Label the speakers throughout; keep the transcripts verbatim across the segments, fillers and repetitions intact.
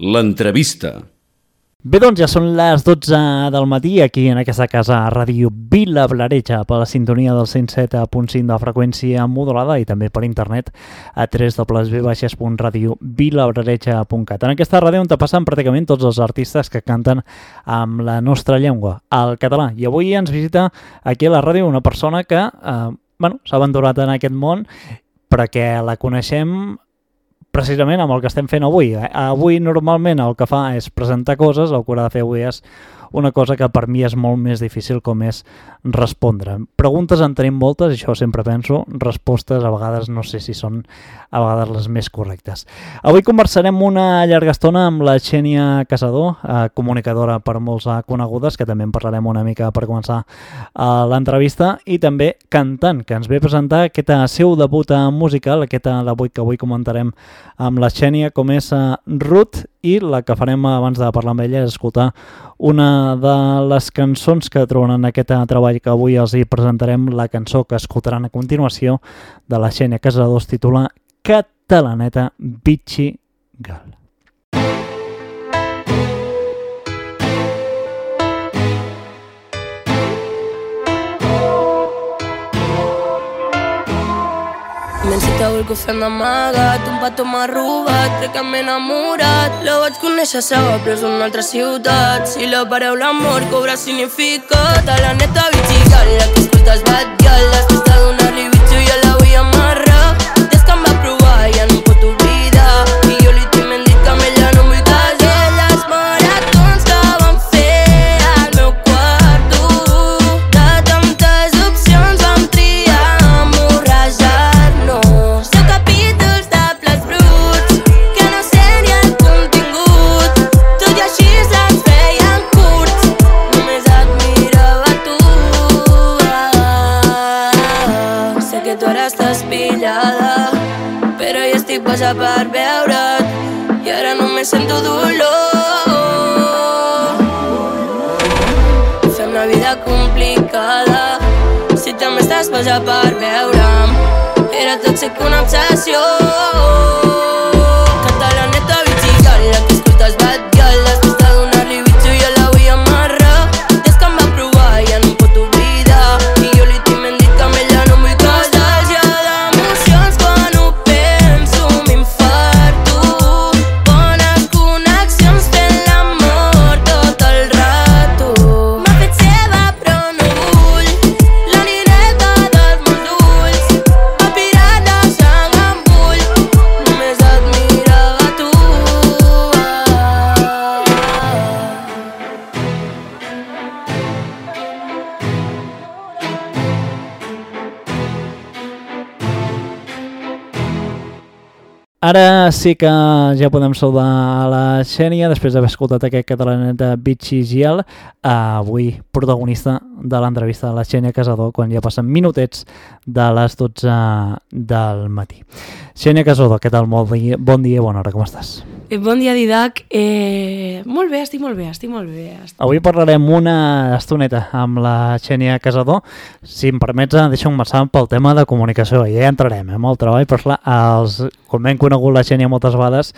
Speaker 1: l'entrevista.
Speaker 2: Bé, doncs ja són les dotze del matí aquí en aquesta casa a Ràdio Vilablareix per la sintonia del cent set punt cinc de freqüència modulada i també per internet a w w w punt radio vilablareix punt cat. En aquesta ràdio on te passen pràcticament tots els artistes que canten amb la nostra llengua, el català. I avui ens visita aquí a la ràdio una persona que eh, bueno, s'ha aventurat en aquest món perquè la coneixem precisament amb el que estem fent avui. Avui normalment el que fa és presentar coses, el que haurà de fer avui és una cosa que per mi és molt més difícil, com és respondre. Preguntes en tenim moltes, això sempre penso, respostes a vegades no sé si són a vegades les més correctes. Avui conversarem una llarga estona amb la Xènia Casador, eh, comunicadora per molts conegudes, que també en parlarem una mica per començar eh, l'entrevista, i també cantant, que ens ve a presentar aquest seu debut musical, aquest debut que avui comentarem amb la Xènia, com és eh, Ruth, i la que farem abans de parlar amb ella és escoltar una de les cançons que troben en aquest treball que avui els hi presentarem. La cançó que escoltaran a continuació de la Xènia Casador es titula Catalaneta Bitxi Gal.
Speaker 3: M'encita el que fem d'amagat, un petó m'ha robat, crec que m'he enamorat. La vaig conèixer a Saba, però és una altra ciutat. Si la paraula amor cobra significat, a la neta bitxigal, la que escoltes batllal, la festa donar-li bitxo i ja la vull amarrar. Des que em va provar ja no em pot oblidar, i jo li tinc ben dit que amb ella no em vull casar. Les maratons que vam fer al meu quarto, de tantes opcions vam triar amorrajar. Però ja estic boja per veure't i ara només sento dolor. Fem la vida complicada si també estàs boja per veure'm. Era tòxic una obsessió. Catalaneta bitxigal, la que escoltes batllal, la festa donar-li bitxo i ja la vull amarrar. Des que em va provar ja no em pot oblidar, i jo li tinc ben dit que amb ella no em vull casar.
Speaker 2: Ara sí que ja podem saludar a la Xènia, després d'haver escoltat aquest Catalaneta Bitxi Gial, avui protagonista de l'entrevista de la Xènia Casador, quan ja passen minutets de les dotze del matí. Xènia Casador, què tal? Bon dia, bon dia, bona hora, com estàs?
Speaker 3: Eh, bon dia, Didac. Eh, molt bé, estic molt bé, estic molt bé. Estic...
Speaker 2: Avui parlarem una estoneta amb la Xènia Casador. Si em permets, deixa'm començar pel tema de comunicació. Ja entrarem eh, amb el treball, però clar, els, com hem conegut la Xènia moltes vegades,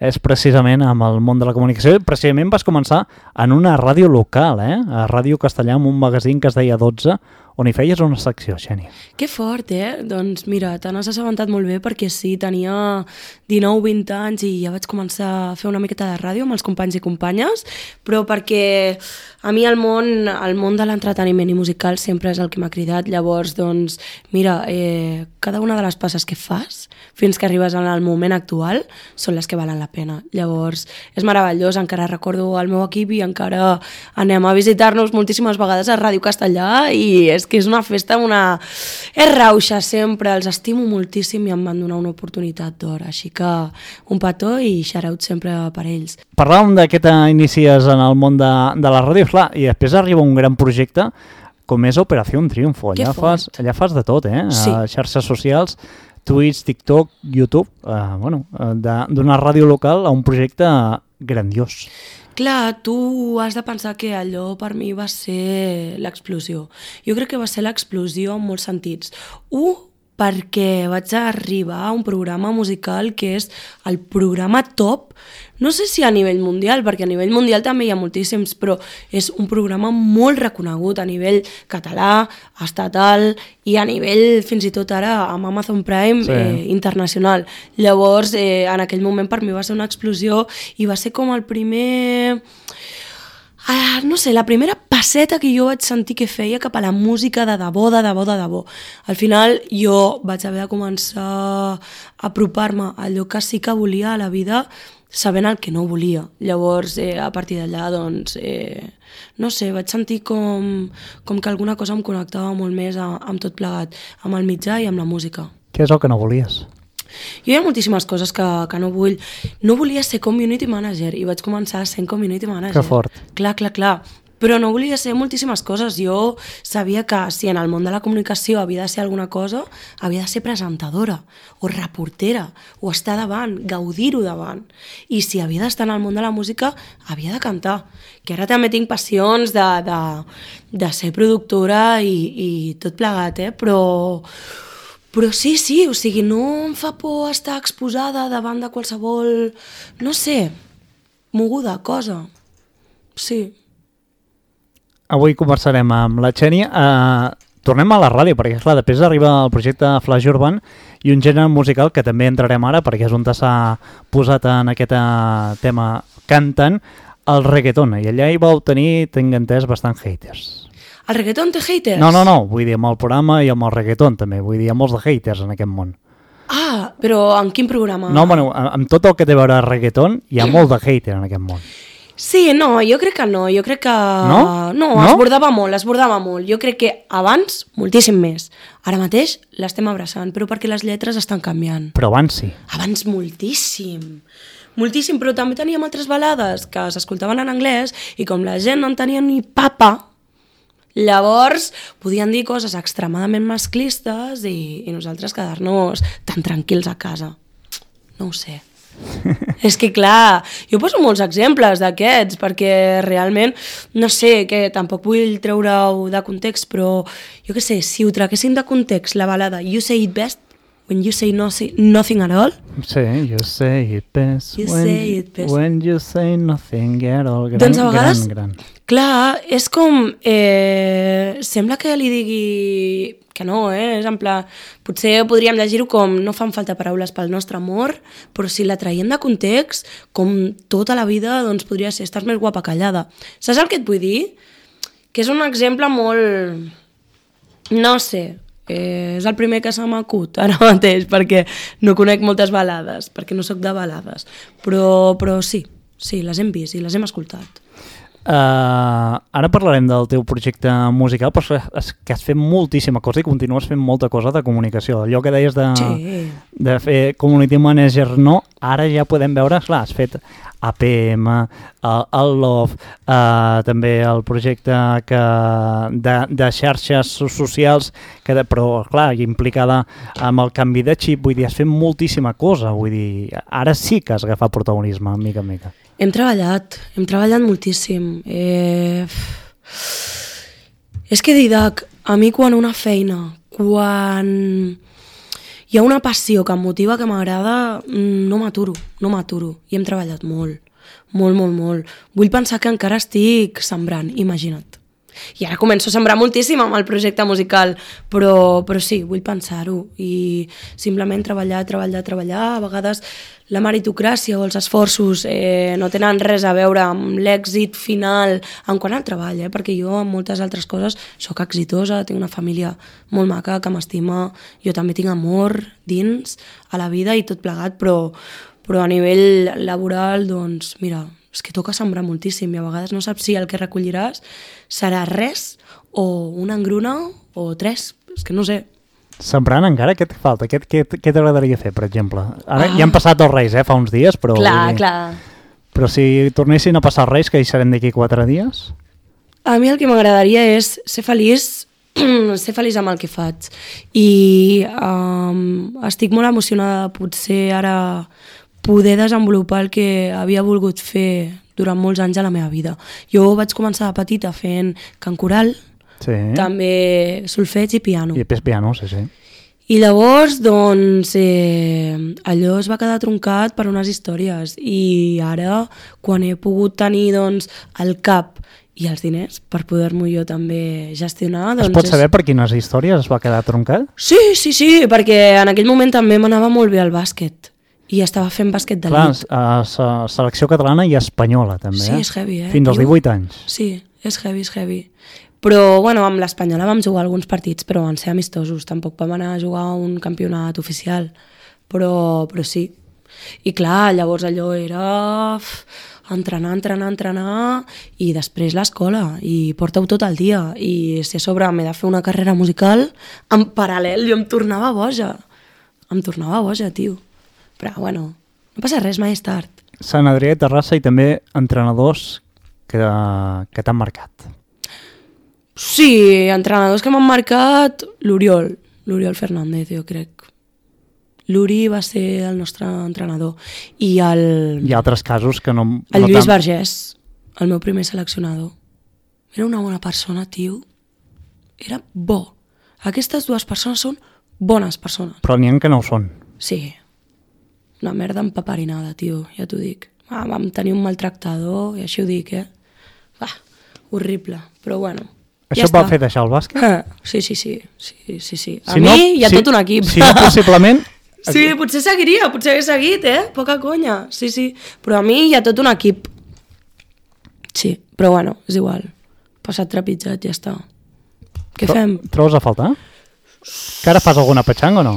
Speaker 2: és precisament amb el món de la comunicació. Precisament vas començar en una ràdio local, eh? A Ràdio Castellà, amb un magazín que es deia dotze, on hi feies una secció, Xènia.
Speaker 3: Que fort, eh? Doncs mira, te n'has assabentat molt bé perquè sí, tenia dinou vint anys i ja vaig començar a fer una miqueta de ràdio amb els companys i companyes, però perquè a mi el món, el món de l'entreteniment i musical sempre és el que m'ha cridat. Llavors, doncs, mira, eh, cada una de les passes que fas fins que arribes al moment actual són les que valen la pena. Llavors, és meravellós, encara recordo el meu equip i encara anem a visitar-nos moltíssimes vegades a Ràdio Castellà i és que és una festa, una... és rauxa sempre, els estimo moltíssim i em van donar una oportunitat d'or, així que un petó i shout sempre per ells.
Speaker 2: Parlàvem d'aquest inicies en el món de, de la ràdio, clar, i després arriba un gran projecte com és Operació Triunfo. Allà fas, allà fas de tot, eh?
Speaker 3: Sí.
Speaker 2: A xarxes socials, Twitch, TikTok, YouTube, eh, bueno, d'una ràdio local a un projecte grandiós.
Speaker 3: Clar, tu has de pensar que allò per mi va ser l'explosió. Jo crec que va ser l'explosió en molts sentits. Un, perquè vaig arribar a un programa musical que és el programa top, no sé si a nivell mundial, perquè a nivell mundial també hi ha moltíssims, però és un programa molt reconegut a nivell català, estatal i a nivell, fins i tot ara, amb Amazon Prime, sí. eh, internacional. Llavors, eh, en aquell moment per mi va ser una explosió i va ser com el primer... Ah, no sé, la primera passeta que jo vaig sentir que feia cap a la música de debò, de debò, de debò. Al final jo vaig haver de començar a apropar-me a allò que sí que volia a la vida sabent el que no volia. Llavors, eh, a partir d'allà, doncs, eh, no sé, vaig sentir com, com que alguna cosa em connectava molt més a, amb tot plegat, amb el mitjà i amb la música.
Speaker 2: Què és el que no volies?
Speaker 3: Jo hi ha moltíssimes coses que, que no vull. No volia ser community manager i vaig començar sent community manager.
Speaker 2: Que fort.
Speaker 3: Clar, clar, clar. Però no volia ser moltíssimes coses. Jo sabia que si en el món de la comunicació havia de ser alguna cosa, havia de ser presentadora o reportera o estar davant, gaudir-ho davant. I si havia d'estar en el món de la música, havia de cantar. Que ara també tinc passions de, de, de ser productora i, i tot plegat, eh? Però... Però sí, sí, o sigui, no em fa por estar exposada davant de qualsevol, no sé, moguda, cosa. Sí.
Speaker 2: Avui conversarem amb la Xènia. Uh, tornem a la ràdio, perquè clar, després arriba el projecte Flash Urban i un gènere musical que també entrarem ara, perquè és on s'ha posat en aquest tema cantant, el reggaeton. I allà hi vau tenir, tinc entès, bastant haters.
Speaker 3: El reggaeton té haters?
Speaker 2: No, no, no, vull dir amb el programa i amb el reggaeton també, vull dir, hi ha molts de haters en aquest món.
Speaker 3: Ah, però en quin programa?
Speaker 2: No, bueno, amb tot el que té a veure el reggaeton hi ha molt de hater en aquest món.
Speaker 3: Sí, no, jo crec que no, jo crec que...
Speaker 2: No?
Speaker 3: No,
Speaker 2: no?
Speaker 3: es bordava molt, es bordava molt. Jo crec que abans, moltíssim més. Ara mateix l'estem abraçant, però perquè les lletres estan canviant.
Speaker 2: Però abans sí.
Speaker 3: Abans moltíssim. Moltíssim, però també teníem altres balades que s'escoltaven en anglès i com la gent no en tenia ni papa, llavors podien dir coses extremadament masclistes i, i nosaltres quedar-nos tan tranquils a casa. No ho sé. És que clar, jo poso molts exemples d'aquests perquè realment, no sé, que tampoc vull treure-ho de context, però jo què sé, si ho traguessin de context la balada You Say It Best, when you say nothing, nothing at all.
Speaker 2: Sí, you say it best,
Speaker 3: you
Speaker 2: when,
Speaker 3: say it best.
Speaker 2: When you say nothing at all. Gran,
Speaker 3: doncs a vegades,
Speaker 2: gran, gran.
Speaker 3: Clar, és com... Eh, sembla que li digui que no, eh? És en pla, potser podríem llegir-ho com no fan falta paraules pel nostre amor, però si la traiem de context, com tota la vida, doncs podria ser estàs més guapa callada. Saps el que et vull dir? Que és un exemple molt... No sé... Eh, és el primer que se m'acut ara mateix perquè no conec moltes balades, perquè no sóc de balades, però, però sí, sí, les hem vist i les hem escoltat.
Speaker 2: Uh, ara parlarem del teu projecte musical, però és que has fet moltíssima cosa i continues fent molta cosa de comunicació. Allò que deies de,
Speaker 3: sí.
Speaker 2: de fer community manager, no, ara ja podem veure, clar, has fet A P M, el, el Love, uh, també el projecte que de, de xarxes socials, que de, però clar, implicada amb el canvi de xip, vull dir, has fet moltíssima cosa, vull dir, ara sí que has agafat protagonisme, mica en mica.
Speaker 3: Hem treballat, hem treballat moltíssim. Eh... És que Didac, a mi quan una feina, quan hi ha una passió que em motiva, que m'agrada, no m'aturo, no m'aturo. I hem treballat molt, molt, molt, molt. Vull pensar que encara estic sembrant, imagina't. I ara començo a sembrar moltíssim amb el projecte musical, però, però sí, vull pensar-ho. I simplement treballar, treballar, treballar. A vegades la meritocràcia o els esforços eh, no tenen res a veure amb l'èxit final en quant al treball, eh? Perquè jo en moltes altres coses sóc exitosa, tinc una família molt maca que m'estima, jo també tinc amor dins a la vida i tot plegat, però, però a nivell laboral, doncs, mira, és que toca sembrar moltíssim i a vegades no saps si el que recolliràs serà res o una engruna o tres, és que no sé.
Speaker 2: Sembrant encara, què et falta? Què, què, què t'agradaria fer, per exemple? Ara ah. ja han passat els Reis, eh, fa uns dies, però...
Speaker 3: Clar, clar.
Speaker 2: Però si tornessin a passar els Reis, que hi serem d'aquí quatre dies?
Speaker 3: A mi el que m'agradaria és ser feliç, ser feliç amb el que faig. I um, estic molt emocionada de potser ara poder desenvolupar el que havia volgut fer durant molts anys a la meva vida. Jo vaig començar de petita fent cant coral,
Speaker 2: sí.
Speaker 3: també solfeig i piano.
Speaker 2: I després piano, sí, sí.
Speaker 3: I llavors, doncs, eh, allò es va quedar troncat per unes històries i ara, quan he pogut tenir, doncs, el cap i els diners per poder-m'ho jo també gestionar... Doncs
Speaker 2: es pot saber és... per quines històries es va quedar troncat?
Speaker 3: Sí, sí, sí, perquè en aquell moment també m'anava molt bé el bàsquet i estava fent bàsquet de
Speaker 2: Clar,
Speaker 3: nit.
Speaker 2: Clar, selecció catalana i espanyola també,
Speaker 3: sí,
Speaker 2: eh?
Speaker 3: és heavy, eh?
Speaker 2: Fins als divuit anys.
Speaker 3: Sí, és heavy, és heavy. Però, bueno, amb l'espanyola vam jugar alguns partits, però van ser amistosos. Tampoc vam anar a jugar un campionat oficial. Però, però sí. I clar, llavors allò era entrenar, entrenar, entrenar i després l'escola i porta-ho tot el dia. I si a sobre m'he de fer una carrera musical, en paral·lel jo em tornava boja. Em tornava boja, tio. Però, bueno, no passa res, mai és tard.
Speaker 2: Sant Adrià de Terrassa i també entrenadors que, que t'han marcat.
Speaker 3: Sí, entrenadors que m'han marcat, l'Oriol, l'Oriol Fernández, jo crec. L'Uri va ser el nostre entrenador. I el...
Speaker 2: Hi ha altres casos que no...
Speaker 3: El
Speaker 2: no
Speaker 3: Lluís
Speaker 2: tan...
Speaker 3: Vergés, el meu primer seleccionador. Era una bona persona, tio. Era bo. Aquestes dues persones són bones persones.
Speaker 2: Però n'hi ha que no ho són.
Speaker 3: Sí. Una merda empaparinada, tio, ja t'ho dic. Ah, vam tenir un maltractador, i així ho dic, eh? Ah, horrible, però bueno.
Speaker 2: Això
Speaker 3: ja
Speaker 2: va
Speaker 3: està.
Speaker 2: fer deixar el bàsquet?
Speaker 3: Ah, sí, sí, sí. sí, sí, sí. A
Speaker 2: si
Speaker 3: mi
Speaker 2: no,
Speaker 3: hi ha
Speaker 2: si,
Speaker 3: tot un equip.
Speaker 2: Si no, possiblement...
Speaker 3: Sí, potser seguiria, potser hagués seguit, eh? Poca conya, sí, sí. Però a mi hi ha tot un equip. Sí, però bueno, és igual. Passat trepitjat, ja està. Què
Speaker 2: Tro
Speaker 3: fem?
Speaker 2: Trobes a faltar? Que ara fas alguna petxanga o no?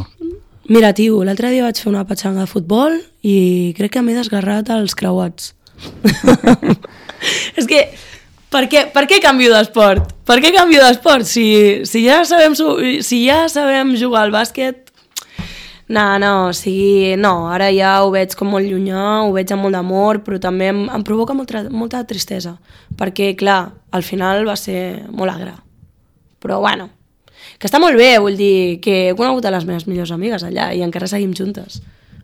Speaker 3: Mira, tio, l'altre dia vaig fer una petxanga de futbol i crec que m'he desgarrat els creuats. És que, per què, per què canvio d'esport? Per què canvio d'esport? Si, si, ja sabem, si ja sabem jugar al bàsquet... No, no, o sigui, no, ara ja ho veig com molt llunyà, ho veig amb molt d'amor, però també em, em provoca molta, molta tristesa, perquè, clar, al final va ser molt agre. Però, bueno, que està molt bé, vull dir que he conegut a les meves millors amigues allà i encara seguim juntes.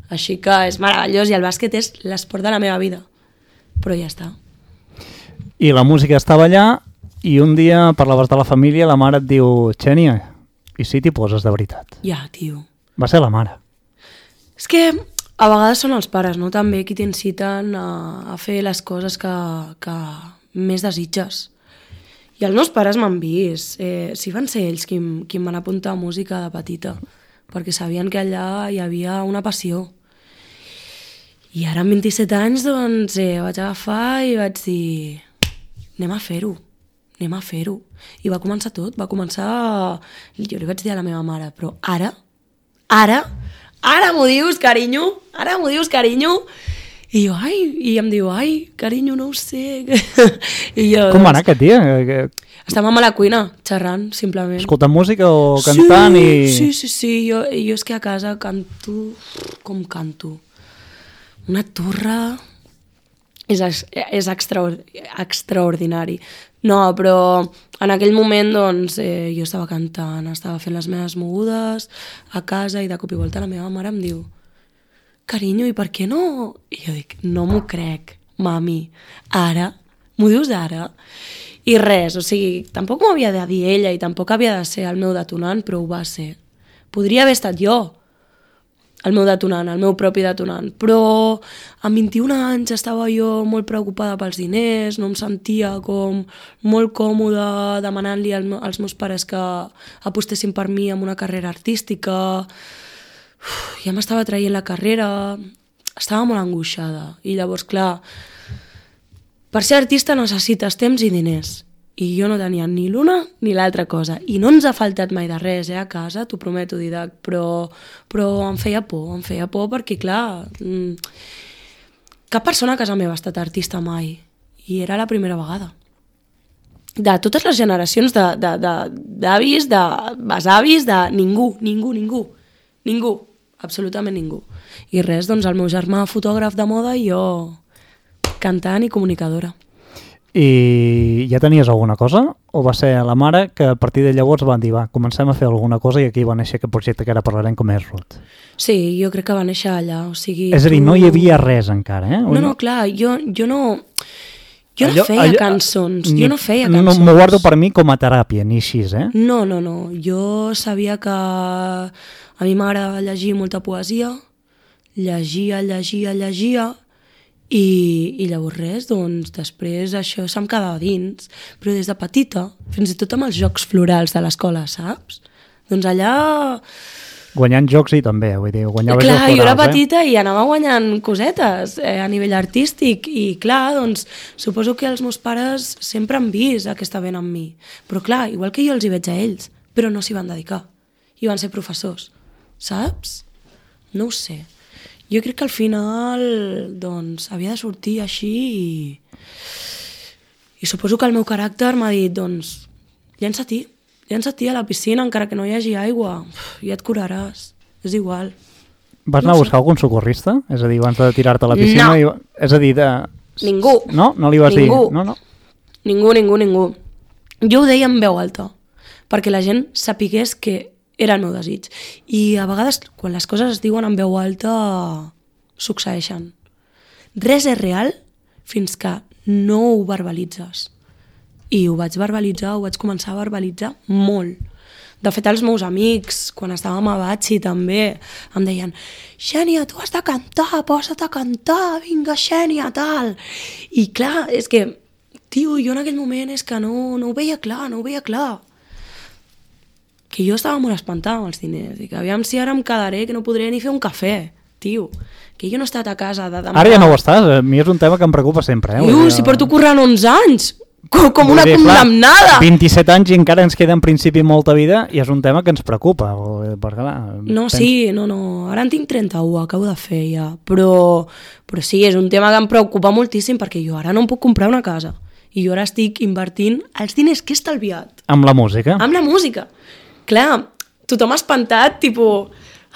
Speaker 3: Així que és meravellós i el bàsquet és l'esport de la meva vida. Però ja està.
Speaker 2: I la música estava allà i un dia parlaves de la família, la mare et diu Xènia, i si t'hi poses de veritat?
Speaker 3: Ja, tio.
Speaker 2: Va ser la mare.
Speaker 3: És que a vegades són els pares, no? També qui t'inciten a, a fer les coses que, que més desitges. I els meus pares m'han vist. Eh, sí van ser ells qui, qui em van apuntar a música de petita, perquè sabien que allà hi havia una passió. I ara amb vint-i-set anys, doncs, eh, vaig agafar i vaig dir anem a fer-ho, anem a fer-ho. I va començar tot, va començar... Jo li vaig dir a la meva mare, però ara, ara, ara m'ho dius, carinyo, ara m'ho dius, carinyo. I jo, ai, i em diu, ai, carinyo, no ho sé. I jo,
Speaker 2: Com va anar aquest dia?
Speaker 3: Estàvem a la cuina, xerrant, simplement.
Speaker 2: Escoltant música o cantant?
Speaker 3: Sí,
Speaker 2: i...
Speaker 3: sí, sí, sí. Jo, jo és que a casa canto... Com canto? Una turra... És, és extraor, extraordinari. No, però en aquell moment doncs, eh, jo estava cantant, estava fent les meves mogudes a casa i de cop i volta la meva mare em diu carinyo, i per què no? I jo dic, no m'ho crec, mami, ara? M'ho dius ara? I res, o sigui, tampoc m'ho havia de dir ella i tampoc havia de ser el meu detonant, però ho va ser. Podria haver estat jo, el meu detonant, el meu propi detonant, però amb vint-i-un anys estava jo molt preocupada pels diners, no em sentia com molt còmoda demanant-li als meus pares que apostessin per mi en una carrera artística. Uf, ja m'estava traient la carrera, estava molt angoixada i llavors, clar, per ser artista necessites temps i diners. I jo no tenia ni l'una ni l'altra cosa. I no ens ha faltat mai de res, eh, a casa, t'ho prometo, Didac, però, però em feia por, em feia por perquè, clar, mmm, cap persona a casa meva ha estat artista mai. I era la primera vegada. De totes les generacions d'avis, de, de, de besavis, de ningú, ningú, ningú, ningú, absolutament ningú. I res, doncs el meu germà fotògraf de moda i jo cantant i comunicadora.
Speaker 2: I ja tenies alguna cosa? O va ser la mare que a partir de llavors van dir, va, comencem a fer alguna cosa i aquí va néixer aquest projecte que ara parlarem com és Ruth?
Speaker 3: Sí, jo crec que va néixer allà, o sigui...
Speaker 2: És a dir,
Speaker 3: tu...
Speaker 2: no hi havia res encara, eh?
Speaker 3: No, no, clar, jo, jo no... Jo no allò, feia allò, cançons, ni, jo no feia cançons.
Speaker 2: No, m'ho guardo per mi com a teràpia, ni així, eh?
Speaker 3: No, no, no, jo sabia que A mi m'agrada llegir molta poesia, llegia, llegia, llegia, i, i llavors res, doncs després això se'm quedava dins. Però des de petita, fins i tot amb els jocs florals de l'escola, saps? Doncs allà...
Speaker 2: Guanyant jocs i també, vull dir, guanyava
Speaker 3: clar,
Speaker 2: jocs florals,
Speaker 3: jo era
Speaker 2: eh?
Speaker 3: petita i anava guanyant cosetes eh, a nivell artístic i clar, doncs suposo que els meus pares sempre han vist aquesta vena en mi. Però clar, igual que jo els hi veig a ells, però no s'hi van dedicar. I van ser professors, saps? No ho sé. Jo crec que al final, doncs, havia de sortir així i... I suposo que el meu caràcter m'ha dit, doncs, llença-t'hi. Llença-t'hi a la piscina, encara que no hi hagi aigua. Ja et curaràs. És igual.
Speaker 2: Vas anar
Speaker 3: No
Speaker 2: a
Speaker 3: sé.
Speaker 2: buscar algun socorrista? És a dir, abans de tirar-te a la piscina?
Speaker 3: No.
Speaker 2: I... És a dir, de...
Speaker 3: Ningú.
Speaker 2: No? No li vas
Speaker 3: Ningú.
Speaker 2: dir? No, no.
Speaker 3: Ningú, ningú, ningú. Jo ho deia en veu alta, perquè la gent sapigués que era el meu desig. I a vegades, quan les coses es diuen en veu alta, succeeixen. Res és real fins que no ho verbalitzes. I ho vaig verbalitzar, ho vaig començar a verbalitzar molt. De fet, els meus amics, quan estàvem a Batxi també, em deien Xènia, tu has de cantar, posa't a cantar, vinga, Xènia, tal. I clar, és que, tio, jo en aquell moment és que no, no ho veia clar, no ho veia clar. Que jo estava molt espantada amb els diners, i que aviam si ara em quedaré que no podré ni fer un cafè, tio. Que jo no he estat a casa de demà.
Speaker 2: Ara ja no ho estàs, a mi és un tema que em preocupa sempre. Eh?
Speaker 3: Tio,
Speaker 2: Vull dir,
Speaker 3: si porto currant onze anys, com, com una
Speaker 2: vull dir, clar,
Speaker 3: condemnada.
Speaker 2: vint-i-set anys i encara ens queda en principi molta vida i és un tema que ens preocupa. O, perquè, clar,
Speaker 3: No,
Speaker 2: pens...
Speaker 3: sí, no, no. Ara en tinc trenta-u, acabo de fer ja. Però, però sí, és un tema que em preocupa moltíssim perquè jo ara no em puc comprar una casa. I jo ara estic invertint els diners que he estalviat.
Speaker 2: Amb la música?
Speaker 3: Amb la música. Clar, tothom ha espantat, tipus,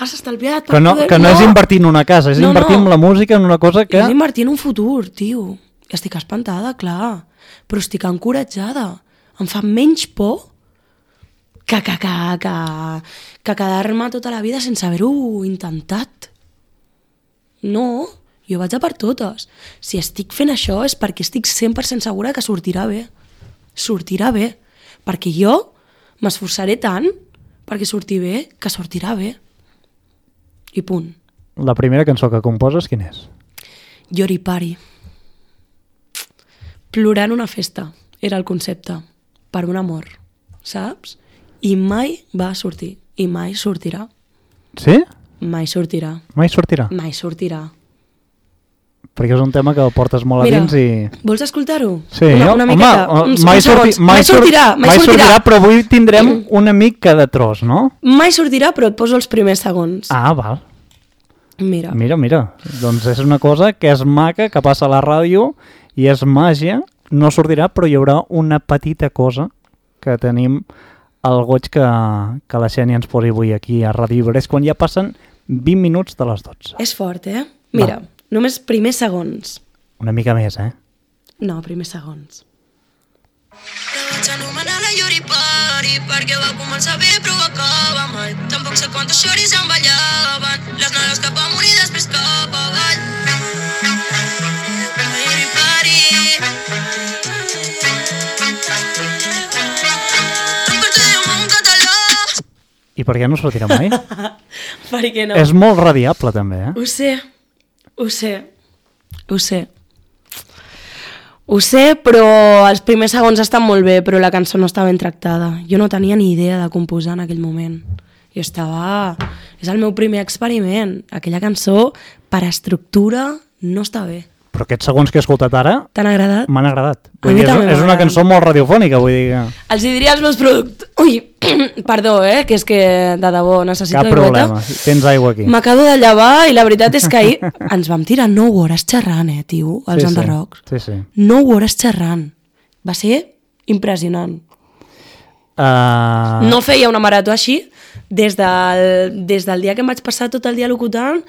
Speaker 3: has estalviat per
Speaker 2: Que no,
Speaker 3: poder...
Speaker 2: que no, no és invertir en una casa, és
Speaker 3: No,
Speaker 2: invertir
Speaker 3: no.
Speaker 2: en la música, en una cosa que...
Speaker 3: És invertir en un futur, tio. Estic espantada, clar. Però estic encoratjada. Em fa menys por que, que, que, que, que quedar-me tota la vida sense haver-ho intentat. No, jo vaig a per totes. Si estic fent això és perquè estic cent per cent segura que sortirà bé. Sortirà bé. Perquè jo m'esforçaré tant perquè surti bé, que sortirà bé. I punt.
Speaker 2: La primera cançó que composes, quina és?
Speaker 3: Yoripari. Plorar en una festa era el concepte, per un amor, saps? I mai va sortir, i mai sortirà.
Speaker 2: Sí?
Speaker 3: Mai sortirà,
Speaker 2: Mai sortirà?
Speaker 3: mai sortirà.
Speaker 2: Perquè és un tema que el portes molt
Speaker 3: Mira,
Speaker 2: a dins i...
Speaker 3: vols escoltar-ho?
Speaker 2: Sí,
Speaker 3: una,
Speaker 2: jo-
Speaker 3: una
Speaker 2: home,
Speaker 3: miqueta,
Speaker 2: o-
Speaker 3: uns,
Speaker 2: mai,
Speaker 3: uns
Speaker 2: sorti,
Speaker 3: segons.
Speaker 2: mai,
Speaker 3: mai sortirà, mai,
Speaker 2: mai
Speaker 3: sortirà.
Speaker 2: sortirà, però avui tindrem un amic cada tros, no?
Speaker 3: Mai sortirà, però et poso els primers segons.
Speaker 2: Ah, val.
Speaker 3: Mira.
Speaker 2: Mira, mira. Doncs és una cosa que és maca, que passa a la ràdio i és màgia. No sortirà, però hi haurà una petita cosa que tenim el goig que, que la Xènia ens posi avui aquí a Ràdio Iberès quan ja passen vint minuts de les dotze.
Speaker 3: És fort, eh? Mira,
Speaker 2: Va.
Speaker 3: només primers segons.
Speaker 2: Una mica més, eh?
Speaker 3: No, primers segons.
Speaker 1: La vaig anomenar la Yoripari perquè va començar bé però acaba mal. Tampoc sé quantes xoris em ballaven, les noies cap amunt i després cap avall. La Yoripari. Em portem un català.
Speaker 2: I per què no sortirà mai?
Speaker 3: Per què no?
Speaker 2: És molt radiable, també, eh?
Speaker 3: Ho sé, ho sé, ho sé. Ho sé, però els primers segons estan molt bé, però la cançó no està ben tractada. Jo no tenia ni idea de composar en aquell moment. Jo estava... És el meu primer experiment. Aquella cançó, per estructura, no està bé.
Speaker 2: Però aquests segons que he escoltat ara
Speaker 3: T'han agradat?
Speaker 2: m'han agradat.
Speaker 3: A
Speaker 2: Vull
Speaker 3: mi
Speaker 2: dir, és,
Speaker 3: també
Speaker 2: és una
Speaker 3: m'agraden.
Speaker 2: cançó molt radiofònica, vull dir que...
Speaker 3: Els hi diria als meus productors... Ui, perdó, eh, que és que de debò necessito
Speaker 2: Cap
Speaker 3: aigüeta.
Speaker 2: problema, tens aigua aquí.
Speaker 3: M'acabo de llevar i la veritat és que ahir ens vam tirar nou hores xerrant, eh, tio, als
Speaker 2: Sí, sí.
Speaker 3: enderrocs.
Speaker 2: Sí, sí.
Speaker 3: nou hores xerrant. Va ser impressionant.
Speaker 2: Uh...
Speaker 3: No feia una marató així des del, des del dia que em vaig passar tot el dia locutant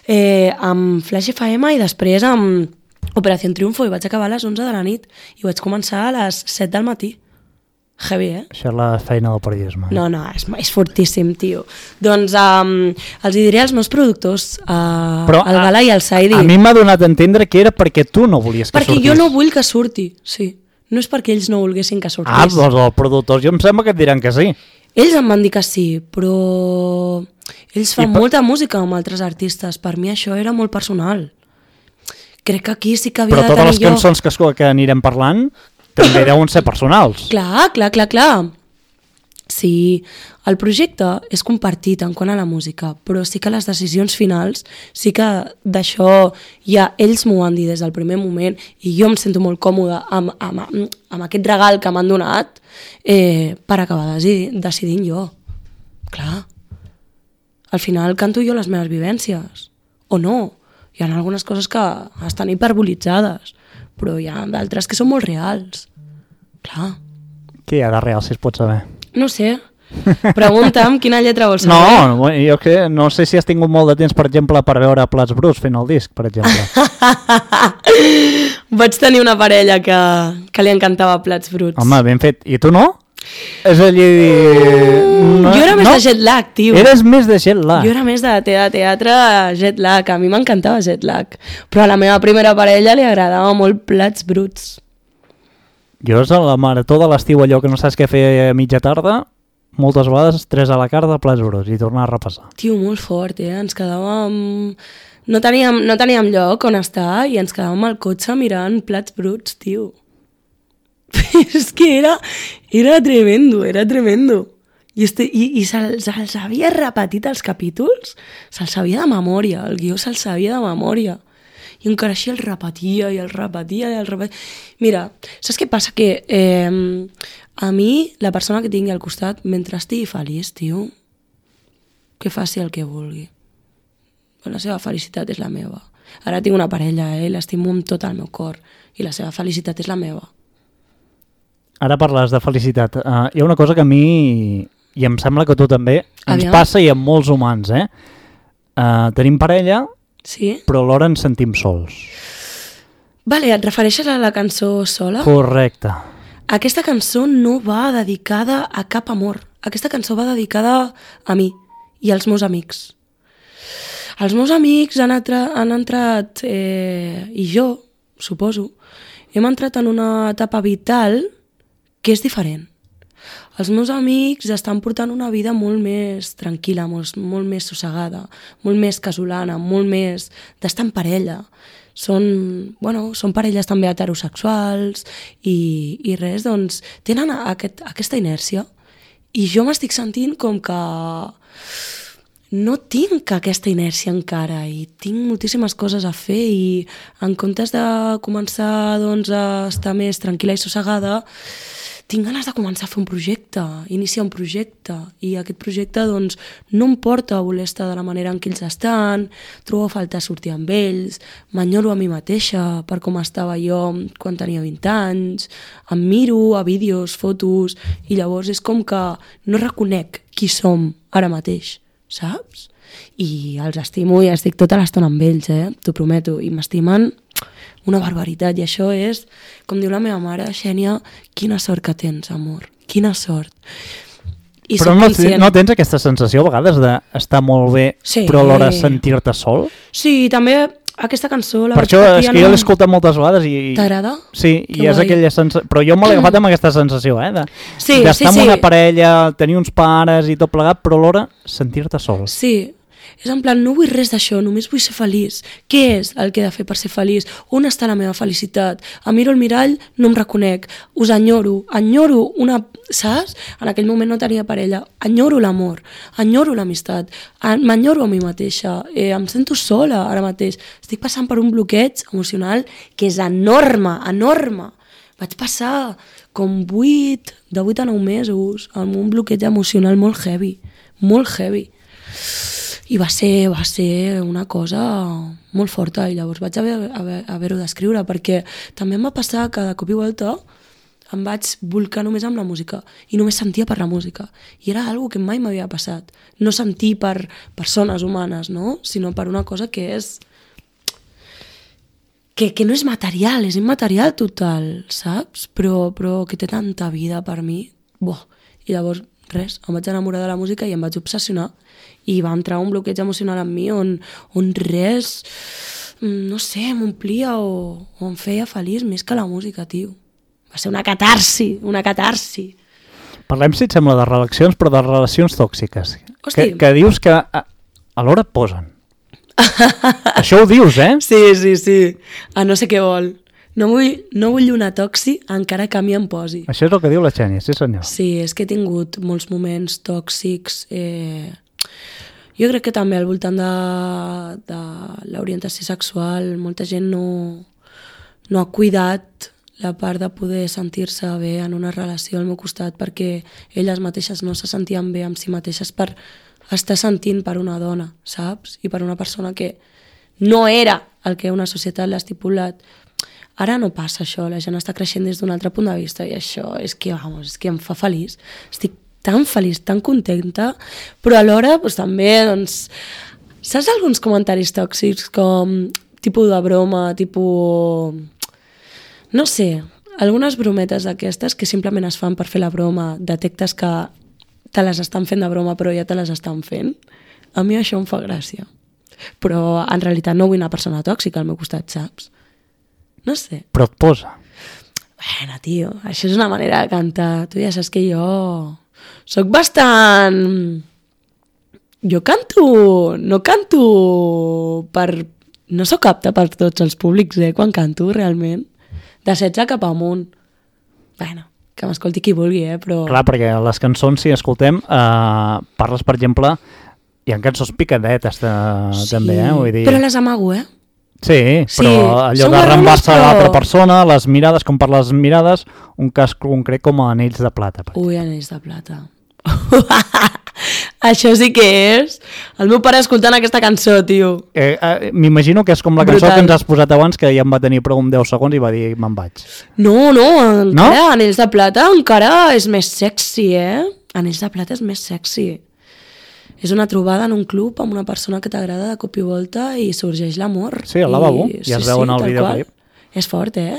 Speaker 3: eh, amb Flash F M i després amb Operació Triunfo i vaig acabar a les onze de la nit i vaig començar a les set del matí. Heavy, eh?
Speaker 2: Això és la feina del periodisme.
Speaker 3: No, no, és, és fortíssim, tio. Doncs um, els hi diré als meus productors, uh,
Speaker 2: Però,
Speaker 3: al Gala i al Saidi.
Speaker 2: A mi m'ha donat a entendre que era perquè tu no volies que
Speaker 3: perquè
Speaker 2: sortís.
Speaker 3: jo no vull que surti, sí. No és perquè ells no volguessin que sortís.
Speaker 2: Ah, doncs els productors jo em sembla que et diran que sí.
Speaker 3: Ells em van dir que sí, però Ells fan
Speaker 2: per...
Speaker 3: molta música amb altres artistes. Per mi això era molt personal. Crec que aquí sí que havia
Speaker 2: Però
Speaker 3: de
Speaker 2: totes
Speaker 3: tenir
Speaker 2: les
Speaker 3: jo...
Speaker 2: cançons que, que anirem parlant també deuen ser personals.
Speaker 3: Clar, clar, clar, clar. Sí, el projecte és compartit en quant a la música, però sí que les decisions finals, sí que d'això ja ells m'ho han dit des del primer moment i jo em sento molt còmoda amb, amb, amb aquest regal que m'han donat eh, per acabar decidint, decidint jo. Clar. Al final canto jo les meves vivències. O no. Hi ha algunes coses que estan hiperbolitzades, però hi ha d'altres que són molt reals. Clar.
Speaker 2: Què hi ha de real, si es pot saber?
Speaker 3: No sé. Pregunta'm quina lletra vols saber.
Speaker 2: No, jo que no sé si has tingut molt de temps, per exemple, per veure Plats Bruts fent el disc, per exemple.
Speaker 3: Vaig tenir una parella que, que li encantava Plats Bruts.
Speaker 2: Home, ben fet. I tu no? És a dir...
Speaker 3: No, jo era més
Speaker 2: no?
Speaker 3: de jet lag, tio.
Speaker 2: Eres més de jet lag.
Speaker 3: Jo era més de teatre, teatre jet lag. A mi m'encantava jet lag. Però a la meva primera parella li agradava molt Plats Bruts.
Speaker 2: Jo és a la marató de l'estiu, allò que no saps què fer a mitja tarda, moltes vegades tres a la carta, Plats Bruts, i tornar a repassar.
Speaker 3: Tio, molt fort, eh? Ens quedàvem... No teníem, no teníem lloc on estar i ens quedàvem al cotxe mirant Plats Bruts, tio. És que era, era tremendo, era tremendo. I, este, i, i se'ls se havia repetit els capítols, se'ls sabia de memòria, el guió se'ls sabia de memòria. I encara així el repetia i el repetia i el repetia. Mira, saps què passa? Que eh, a mi, la persona que tingui al costat, mentre estigui feliç, tio, que faci el que vulgui. La seva felicitat és la meva. Ara tinc una parella, eh? L'estimo amb tot el meu cor. I la seva felicitat és la meva.
Speaker 2: Ara parles de felicitat. Uh, hi ha una cosa que a mi, i em sembla que tu també, ens
Speaker 3: Aviam.
Speaker 2: passa i amb molts humans, eh? Uh, tenim parella,
Speaker 3: sí?
Speaker 2: Però alhora ens sentim sols.
Speaker 3: Vale, et refereixes a la cançó Sola?
Speaker 2: Correcte.
Speaker 3: Aquesta cançó no va dedicada a cap amor. Aquesta cançó va dedicada a mi i als meus amics. Els meus amics han, atra- han entrat, eh, i jo, suposo, hem entrat en una etapa vital que és diferent. Els meus amics estan portant una vida molt més tranquil·la, molt, molt més sossegada, molt més casolana, molt més d'estar en parella. Són, bueno, són parelles també heterosexuals i, i res, doncs tenen aquest, aquesta inèrcia. I jo m'estic sentint com que no tinc aquesta inèrcia encara i tinc moltíssimes coses a fer i en comptes de començar doncs, a estar més tranquil·la i sossegada, tinc ganes de començar a fer un projecte, iniciar un projecte, i aquest projecte doncs, no em porta a voler estar de la manera en què ells estan, trobo a faltar sortir amb ells, m'enyoro a mi mateixa per com estava jo quan tenia vint anys, em miro a vídeos, fotos, i llavors és com que no reconec qui som ara mateix, saps? I els estimo i estic tota l'estona amb ells, eh? T'ho prometo, i m'estimen una barbaritat, i això és, com diu la meva mare, Xènia, quina sort que tens, amor, quina sort. I
Speaker 2: però no, no tens aquesta sensació a vegades d'estar molt bé, sí, però alhora sentir-te sol?
Speaker 3: Sí, també aquesta cançó... La
Speaker 2: per això és que jo l'he escoltat moltes vegades i...
Speaker 3: T'agrada?
Speaker 2: Sí, que i és guai. Aquella sensació... Però jo me l'he agafat amb aquesta sensació, eh? De,
Speaker 3: sí,
Speaker 2: d'estar
Speaker 3: sí,
Speaker 2: amb
Speaker 3: sí.
Speaker 2: una parella, tenir uns pares i tot plegat, però alhora sentir-te sol.
Speaker 3: Sí, és en plan, no vull res d'això, només vull ser feliç. Què és el que he de fer per ser feliç? On està la meva felicitat? Em miro al mirall, no em reconec. Us enyoro, enyoro una... Saps? En aquell moment no tenia parella. Enyoro l'amor, enyoro l'amistat, m'enyoro a mi mateixa. Eh, em sento sola ara mateix. Estic passant per un bloqueig emocional que és enorme, enorme. Vaig passar com vuit, de vuit a nou mesos, amb un bloqueig emocional molt heavy, molt heavy. I va ser, va ser una cosa molt forta i llavors vaig haver, haver, haver-ho d'escriure perquè també em va passar que de cop i volta em vaig volcar només amb la música i només sentia per la música i era algo que mai m'havia passat, no sentir per persones humanes, no? Sinó per una cosa que és que, que no és material, és immaterial total, saps? Però, però que té tanta vida per mi. Boh. I llavors res, em vaig enamorar de la música i em vaig obsessionar i va entrar un bloqueig emocional en mi on, on res, no sé, m'omplia o, o em feia feliç més que la música, tio. Va ser una catarsi, una catarsi.
Speaker 2: Parlem, si et sembla, de relacions, però de relacions tòxiques.
Speaker 3: Hosti.
Speaker 2: Que, que dius que a l'hora et posen. Això ho dius, eh?
Speaker 3: Sí, sí, sí. Ah, no sé què vol. No vull, no vull una toxi encara que a mi em posi.
Speaker 2: Això és el que diu la Xènia, sí senyor.
Speaker 3: Sí, és que he tingut molts moments tòxics. Eh... Jo crec que també al voltant de, de l'orientació sexual molta gent no, no ha cuidat la part de poder sentir-se bé en una relació al meu costat perquè elles mateixes no se sentien bé amb si mateixes per estar sentint per una dona, saps? I per una persona que no era el que una societat l'ha estipulat. Ara no passa això, la gent està creixent des d'un altre punt de vista i això és que, vamos, és que em fa feliç. Estic tan feliç, tan contenta, però alhora doncs, també, doncs, saps alguns comentaris tòxics com tipus de broma, tipus... no sé, algunes brometes d'aquestes que simplement es fan per fer la broma, detectes que te les estan fent de broma però ja te les estan fent, a mi això em fa gràcia. Però en realitat no vull una persona tòxica al meu costat, saps? No sé.
Speaker 2: Però et posa.
Speaker 3: Bueno, tio, això és una manera de cantar. Tu ja saps que jo soc bastant... Jo canto... No canto per... No sóc apta per tots els públics, eh, quan canto, realment. De setze cap amunt. Bueno, que m'escolti qui vulgui, eh, però...
Speaker 2: Clar, perquè les cançons, si escoltem, eh, parles, per exemple, hi ha cançons picadetes de,
Speaker 3: sí,
Speaker 2: també, eh? Vull dir...
Speaker 3: però les amago, eh?
Speaker 2: Sí,
Speaker 3: Sí,
Speaker 2: però allò
Speaker 3: són
Speaker 2: de rembar-se
Speaker 3: guarrones,
Speaker 2: a l'altra
Speaker 3: però-
Speaker 2: persona, les mirades, com per les mirades, un cas concret com a anells de plata. per
Speaker 3: Ui, anells de plata. Això sí que és... El meu pare escoltant aquesta cançó, tio.
Speaker 2: Eh, eh, M'imagino que és com la cançó
Speaker 3: Brutal.
Speaker 2: que ens has posat abans, que ja em va tenir prou un deu segons i va dir me'n vaig.
Speaker 3: No, no, encara,
Speaker 2: No?
Speaker 3: anells de plata encara és més sexy, eh? Anells de plata és més sexy. És una trobada en un club amb una persona que t'agrada de cop i volta i sorgeix l'amor.
Speaker 2: Sí, al lavabo, ja es veu en el
Speaker 3: tal
Speaker 2: videoclip.
Speaker 3: qual. És fort, eh?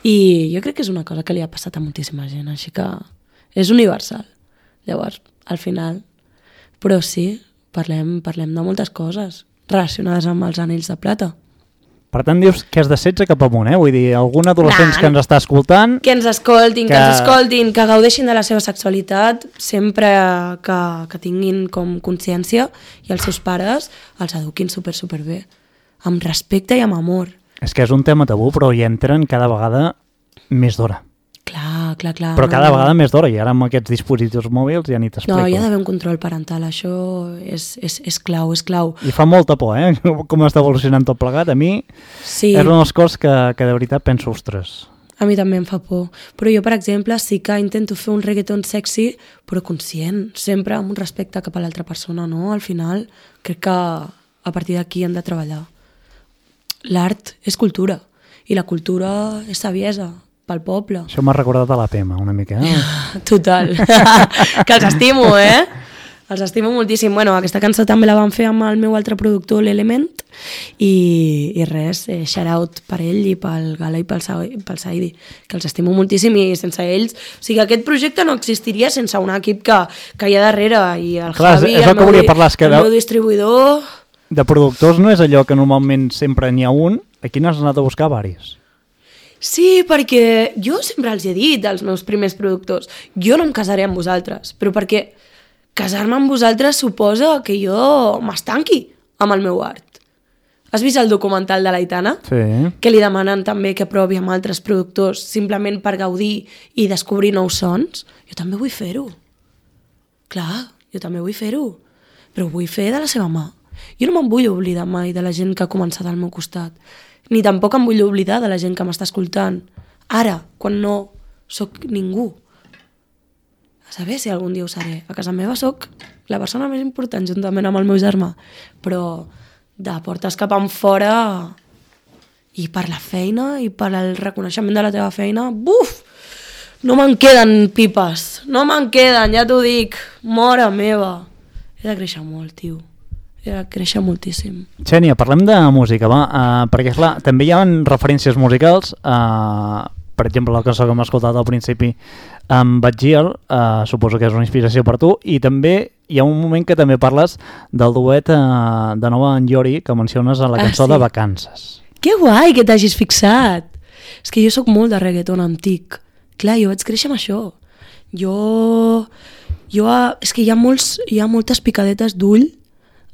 Speaker 3: I jo crec que és una cosa que li ha passat a moltíssima gent, així que és universal. Llavors, al final... Però sí, parlem, parlem de moltes coses relacionades amb els anells de plata.
Speaker 2: Per tant, dius que és de setze cap amunt, eh? Vull dir, algun adolescent
Speaker 3: Nah.
Speaker 2: que ens està escoltant...
Speaker 3: Que ens escoltin, que,
Speaker 2: Que-
Speaker 3: que ens escoltin, que gaudeixin de la seva sexualitat sempre que, que tinguin com consciència i els seus pares els eduquin super, super bé. Amb respecte i amb amor.
Speaker 2: És que és un tema tabú, però hi entren cada vegada més d'hora.
Speaker 3: Clar, clar, clar.
Speaker 2: Però
Speaker 3: no,
Speaker 2: cada
Speaker 3: no.
Speaker 2: vegada més d'hora, i ara amb aquests dispositius mòbils ja ni t'explico.
Speaker 3: No, hi ha d'haver un control parental, això és, és, és clau, és clau.
Speaker 2: I fa molta por, eh? Com està evolucionant tot plegat. A mi
Speaker 3: Sí,
Speaker 2: és una de les coses que, que de veritat penso, ostres...
Speaker 3: a mi també em fa por. Però jo, per exemple, sí que intento fer un reggaeton sexy, però conscient, sempre amb un respecte cap a l'altra persona, no? Al final, crec que a partir d'aquí hem de treballar. L'art és cultura, i la cultura és saviesa pel poble.
Speaker 2: Això m'ha recordat a la Pema, una mica. Eh?
Speaker 3: Total. Que els estimo, eh? Els estimo moltíssim. Bueno, aquesta cançó també la vam fer amb el meu altre productor, l'Element, i, i res, eh, shout out per ell i pel Gala i pel, Sa pel Saidi, que els estimo moltíssim i sense ells... O sigui, aquest projecte no existiria sense un equip que, que hi ha darrere, i el
Speaker 2: Clar,
Speaker 3: Javi,
Speaker 2: és el
Speaker 3: el,
Speaker 2: que
Speaker 3: meu,
Speaker 2: volia
Speaker 3: di-
Speaker 2: parlar, és que
Speaker 3: el
Speaker 2: de-
Speaker 3: meu distribuïdor...
Speaker 2: De productors no és allò que normalment sempre n'hi ha un, aquí n'has anat a buscar varis.
Speaker 3: Sí, perquè jo sempre els he dit als meus primers productors, jo no em casaré amb vosaltres, però perquè casar-me amb vosaltres suposa que jo m'estanqui amb el meu art. Has vist el documental de l'Aitana?
Speaker 2: Sí.
Speaker 3: Que li demanen també que provi amb altres productors simplement per gaudir i descobrir nous sons? Jo també vull fer-ho. Clar, jo també vull fer-ho, però ho vull fer de la seva mà. Jo no me'n vull oblidar mai de la gent que ha començat al meu costat, ni tampoc em vull oblidar de la gent que m'està escoltant, ara, quan no sóc ningú. A saber si algun dia ho seré. A casa meva sóc la persona més important, juntament amb el meu germà, però de portes cap en fora i per la feina i per al reconeixement de la teva feina, buf! No me'n queden pipes, no me'n queden, ja t'ho dic, mare meva. He de créixer molt, tio. He de créixer moltíssim.
Speaker 2: Xènia, parlem de música, va, uh, perquè clar, també hi ha referències musicals, uh, per exemple la cançó que hem escoltat al principi amb Batgiel, uh, suposo que és una inspiració per tu, i també hi ha un moment que també parles del duet uh, de nou en Yori, que menciones a la
Speaker 3: Ah,
Speaker 2: cançó
Speaker 3: sí.
Speaker 2: de Vacances.
Speaker 3: Que guai que t'hagis fixat! És que jo sóc molt de reggaeton antic. Clar, jo vaig créixer amb això. Jo... jo és que hi ha, molts, hi ha moltes picadetes d'ull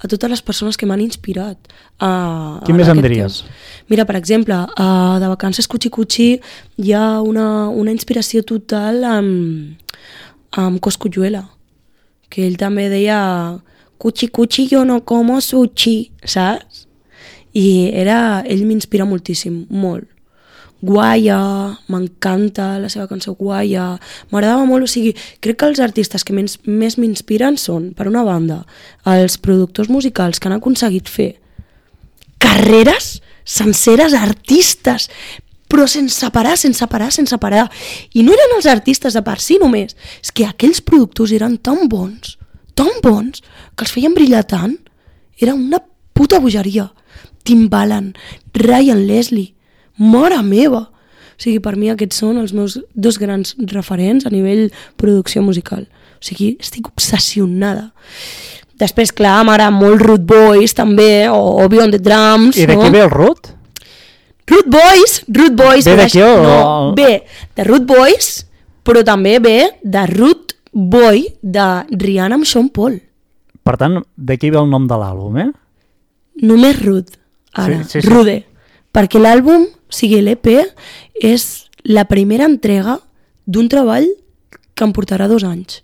Speaker 3: a totes les persones que m'han inspirat. A,
Speaker 2: Quin més em diries?
Speaker 3: Temps. Mira, per exemple, a de Vacances Cuchi Cuchi hi ha una, una inspiració total amb, amb Cosculluela, que ell també deia Cuchi Cuchi yo no como sushi, saps? I era, ell m'inspira moltíssim, molt. Guaya, m'encanta la seva cançó Guaya, m'agradava molt, o sigui, crec que els artistes que més, més m'inspiren són, per una banda, els productors musicals que han aconseguit fer carreres senceres, artistes, però sense parar, sense parar, sense parar. I no eren els artistes de per si només, és que aquells productors eren tan bons, tan bons, que els feien brillar tant, era una puta bogeria. Timbaland, Ryan Leslie, mare meva! O sigui, per mi aquests són els meus dos grans referents a nivell producció musical. O sigui, estic obsessionada. Després, clar, m'agrada molt Root Boys, també, o, o Beyond the Drums.
Speaker 2: I d'aquí
Speaker 3: no?
Speaker 2: ve el Root?
Speaker 3: Root Boys, Root Boys...
Speaker 2: Ve d'aquí o...?
Speaker 3: No, ve de Root Boys, però també ve de Root Boy de Rihanna amb Sean Paul.
Speaker 2: Per tant, d'aquí ve el nom de l'àlbum, eh?
Speaker 3: Només Root, ara,
Speaker 2: sí, sí, sí.
Speaker 3: Rude. Perquè l'àlbum, o sigui, l'E P, és la primera entrega d'un treball que em portarà dos anys.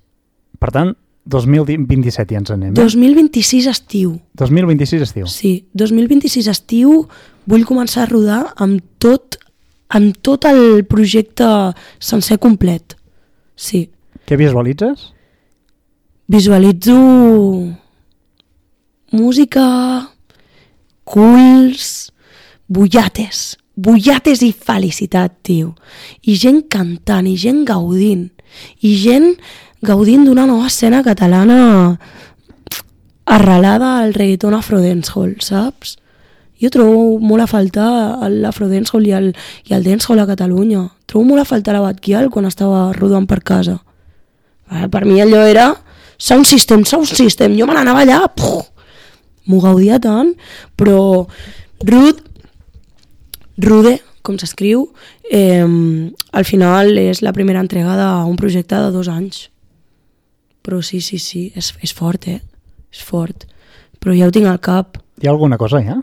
Speaker 2: Per tant, dos mil vint-i-set ja ens anem, eh?
Speaker 3: dos mil vint-i-sis estiu.
Speaker 2: dos mil vint-i-sis estiu.
Speaker 3: Sí, dos mil vint-i-sis estiu vull començar a rodar amb tot, amb tot el projecte sencer complet. Sí.
Speaker 2: Què visualitzes?
Speaker 3: Visualitzo música, culs, bullates, bullates i felicitat, tio. I gent cantant, i gent gaudint, i gent gaudint d'una nova escena catalana arrelada al reggaeton afro-dancehall, saps? Jo trobo molt a faltar l'afro-dancehall i el, i el dancehall a Catalunya. Trobo molt a faltar la Batquial quan estava rodant per casa. Per mi allò era sound system, sound system. Jo me n'anava allà, puf, m'ho gaudia tant, però Rude, Rude, com s'escriu, eh, al final és la primera entrega d'un projecte de dos anys. Però sí, sí, sí, és, és fort, eh? És fort. Però ja ho tinc al cap.
Speaker 2: Hi ha alguna cosa, ja?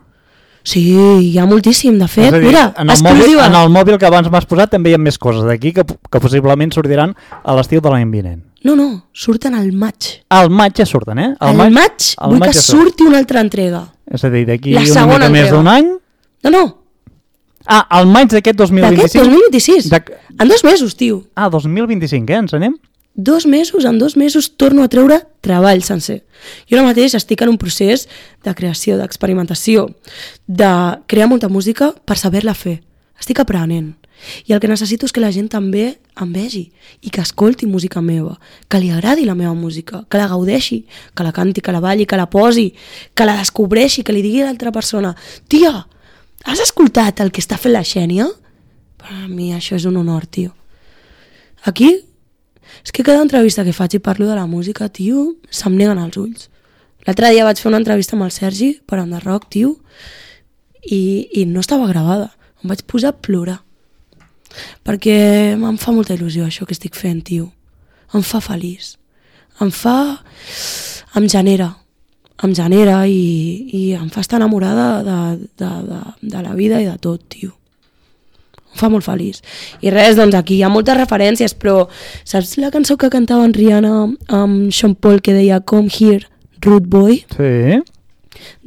Speaker 3: Sí, hi ha moltíssim, de fet.
Speaker 2: dir,
Speaker 3: Mira,
Speaker 2: en el, mòbil, en el mòbil que abans m'has posat també hi ha més coses d'aquí que, que possiblement sortiran a l'estiu de l'any vinent.
Speaker 3: No, no, surten al maig.
Speaker 2: Al maig ja surten, eh?
Speaker 3: Al maig, maig vull maig que ja surti una altra entrega.
Speaker 2: És a dir, d'aquí
Speaker 3: una
Speaker 2: mica més d'un any...
Speaker 3: No, no.
Speaker 2: Ah, al maig d'aquest dos mil vint-i-cinc?
Speaker 3: D'aquest dos mil vint-i-sis. De... En dos mesos, tio.
Speaker 2: Ah, dos mil vint-i-cinc, eh? Ens anem?
Speaker 3: Dos mesos, en dos mesos torno a treure treball sencer. Jo ara mateix estic en un procés de creació, d'experimentació, de crear molta música per saber-la fer. Estic aprenent. I el que necessito és que la gent també em vegi i que escolti música meva, que li agradi la meva música, que la gaudeixi, que la canti, que la balli, que la posi, que la descobreixi, que li digui a l'altra persona: tia, has escoltat el que està fent la Xènia? Per a mi això és un honor, tio. Aquí, és que cada entrevista que faig i parlo de la música, tio, se'm neguen els ulls. L'altre dia vaig fer una entrevista amb el Sergi per Under Rock, tio, i, i no estava gravada. Em vaig posar a plorar. Perquè em fa molta il·lusió això que estic fent, tio. Em fa feliç. Em fa... Em genera. Em genera i, i em fa estar enamorada de, de, de, de la vida i de tot, tio. Em fa molt feliç. I res, doncs aquí hi ha moltes referències, però saps la cançó que cantava en Rihanna amb Sean Paul que deia Come Here, Rude Boy?
Speaker 2: Sí.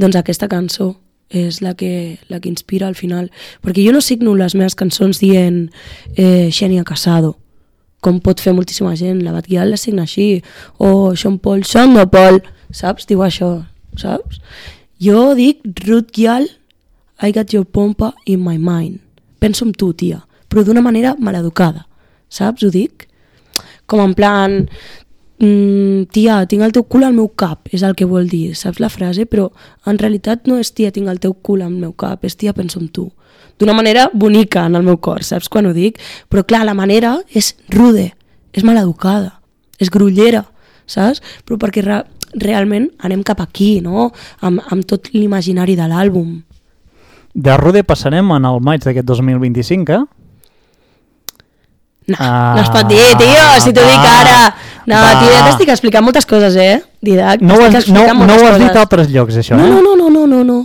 Speaker 3: Doncs aquesta cançó és la que, la que inspira al final. Perquè jo no signo les meves cançons dient eh, Xènia Casado, com pot fer moltíssima gent. La Batguial la signa així. O Sean Paul, Sean de Paul, saps? Diu això, saps? Jo dic Ruth Gial, I got your pompa in my mind. Penso en tu, tia, però d'una manera maleducada, saps? Ho dic? Com en plan, mm, tia, tinc el teu cul al meu cap, és el que vol dir, saps la frase? Però en realitat no és tia, tinc el teu cul al meu cap, és tia, penso en tu. D'una manera bonica en el meu cor, saps quan ho dic? Però clar, la manera és rude, és maleducada, és grollera, saps? Però perquè re realment anem cap aquí, no? Amb, amb tot l'imaginari de l'àlbum.
Speaker 2: De Rude passarem en el maig d'aquest dos mil vint-i-cinc, eh?
Speaker 3: No, ah, no es pot dir, tio, si t'ho dic ara. No, va, tio, ja t'estic explicant moltes coses, eh? Didac,
Speaker 2: no ho has, no, no ho has dit a altres llocs, això,
Speaker 3: no,
Speaker 2: eh?
Speaker 3: No, no, no, no, no, no.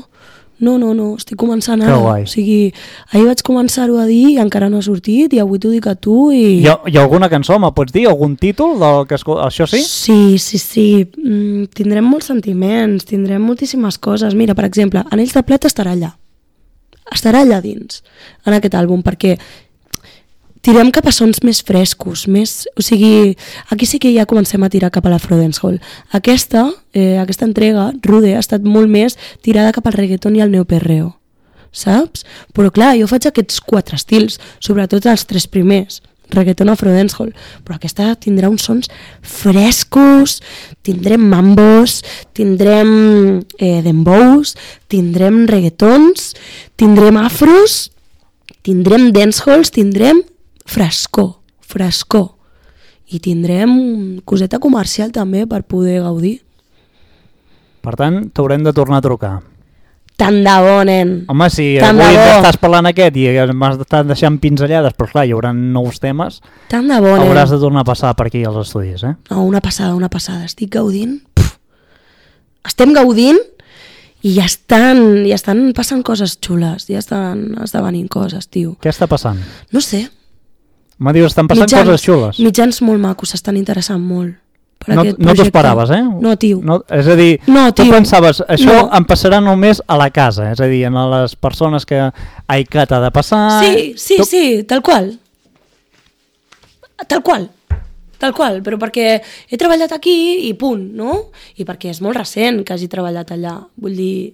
Speaker 3: No, no, no, estic començant ara. O sigui, ahir vaig començar-ho a dir i encara no ha sortit i avui t'ho dic a tu i...
Speaker 2: Hi ha, hi ha alguna cançó, me pots dir? Algun títol del que escol... Això sí?
Speaker 3: Sí, sí, sí. Mm, tindrem molts sentiments, tindrem moltíssimes coses. Mira, per exemple, Anells de Plet estarà allà. Estarà allà dins, en aquest àlbum, perquè tirem cap a sons més frescos, més... O sigui, aquí sí que ja comencem a tirar cap a la Frodenshall. Aquesta, eh, aquesta entrega, Rude, ha estat molt més tirada cap al reggaeton i al neoperreo, saps? Però clar, jo faig aquests quatre estils, sobretot els tres primers, reggaeton o Frodenshall, però aquesta tindrà uns sons frescos, tindrem mambos, tindrem eh, dembows, tindrem reggaetons, tindrem afros, tindrem dancehalls, tindrem frescor, frescor. I tindrem coseta comercial també per poder gaudir.
Speaker 2: Per tant, t'haurem de tornar a trucar.
Speaker 3: Tant de bo, nen.
Speaker 2: Home, si
Speaker 3: Tant
Speaker 2: avui estàs parlant aquest i m'has estat deixant pinzellades, però clar, hi haurà nous temes.
Speaker 3: Tant de bo, nen.
Speaker 2: Hauràs de tornar a passar per aquí als estudis, eh?
Speaker 3: No, una passada, una passada. Estic gaudint. Puf. Estem gaudint i ja estan, ja estan passant coses xules, ja estan esdevenint coses, tio.
Speaker 2: Què està passant?
Speaker 3: No sé.
Speaker 2: Me dius, estan passant
Speaker 3: mitjans,
Speaker 2: coses xules.
Speaker 3: Mitjans molt macos, s'estan interessant molt per
Speaker 2: no,
Speaker 3: aquest
Speaker 2: projecte. No t'ho esperaves, eh?
Speaker 3: No, tio.
Speaker 2: No, és a dir,
Speaker 3: no,
Speaker 2: tu pensaves, això
Speaker 3: no.
Speaker 2: em passarà només a la casa, és a dir, a les persones que ai, que t'ha de passar...
Speaker 3: Sí, sí,
Speaker 2: tu...
Speaker 3: sí, tal qual. Tal qual. Tal qual, però perquè he treballat aquí i punt, no? I perquè és molt recent que hagi treballat allà. Vull dir,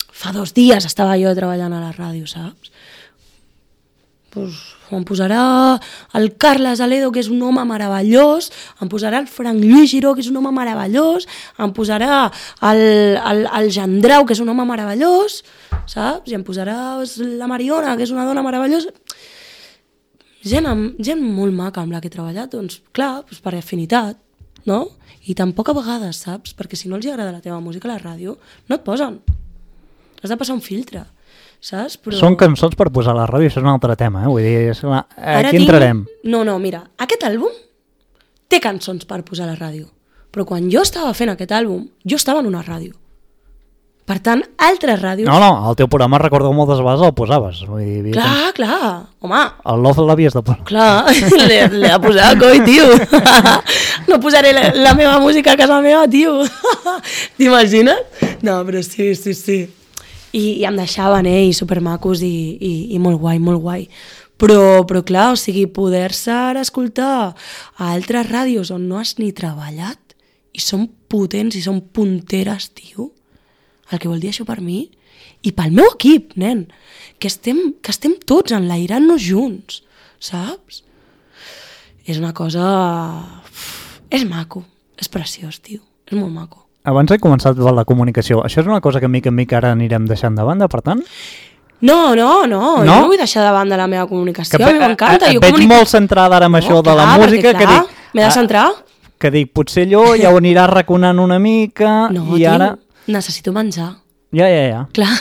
Speaker 3: fa dos dies estava jo treballant a la ràdio, saps? Pues em posarà el Carles Aledo, que és un home meravellós, em posarà el Frank Lluís Giró, que és un home meravellós, em posarà el, el, el Jandrau, que és un home meravellós, saps? I em posarà la Mariona, que és una dona meravellosa. Gent, amb, gent molt maca amb la que he treballat, doncs clar, doncs per afinitat, no? I tampoc a vegades, saps? Perquè si no els agrada la teva música a la ràdio, no et posen. Has de passar un filtre. Saps? Però...
Speaker 2: Són cançons per posar a la ràdio, això és un altre tema, eh? Vull dir, és la... aquí
Speaker 3: tinc...
Speaker 2: entrarem.
Speaker 3: No, no, mira, aquest àlbum té cançons per posar a la ràdio, però quan jo estava fent aquest àlbum, jo estava en una ràdio. Per tant, altres ràdios...
Speaker 2: No, no, el teu programa, recordo moltes vegades el posaves. Vull dir,
Speaker 3: clar,
Speaker 2: tens...
Speaker 3: clar, home.
Speaker 2: El Love l'havies de posar.
Speaker 3: Clar, l'he de posar, coi, tio. No posaré la, la meva música a casa meva, tio. T'imagines? No, però sí, sí, sí. I, i em deixaven, eh, i supermacos i, i, i molt guai, molt guai. Però, però clar, o sigui, poder-se ara escoltar a altres ràdios on no has ni treballat i són potents i són punteres, tio, el que vol dir això per mi i pel meu equip, nen, que estem, que estem tots enlairant-nos junts, saps? És una cosa... És maco, és preciós, tio, és molt maco.
Speaker 2: Abans he començat la comunicació. Això és una cosa que mica en mica ara anirem deixant de banda, per tant?
Speaker 3: No, no, no, no? jo no vull deixar de banda la meva comunicació, que, a mi m'encanta.
Speaker 2: Et veig comunica... molt centrada ara amb no, això clar, de la música.
Speaker 3: Perquè, clar, m'he de centrar.
Speaker 2: Que dic, potser allò ja ho aniràs raconant una mica
Speaker 3: no,
Speaker 2: i
Speaker 3: tio,
Speaker 2: ara...
Speaker 3: necessito menjar.
Speaker 2: Ja, ja, ja.
Speaker 3: Clar,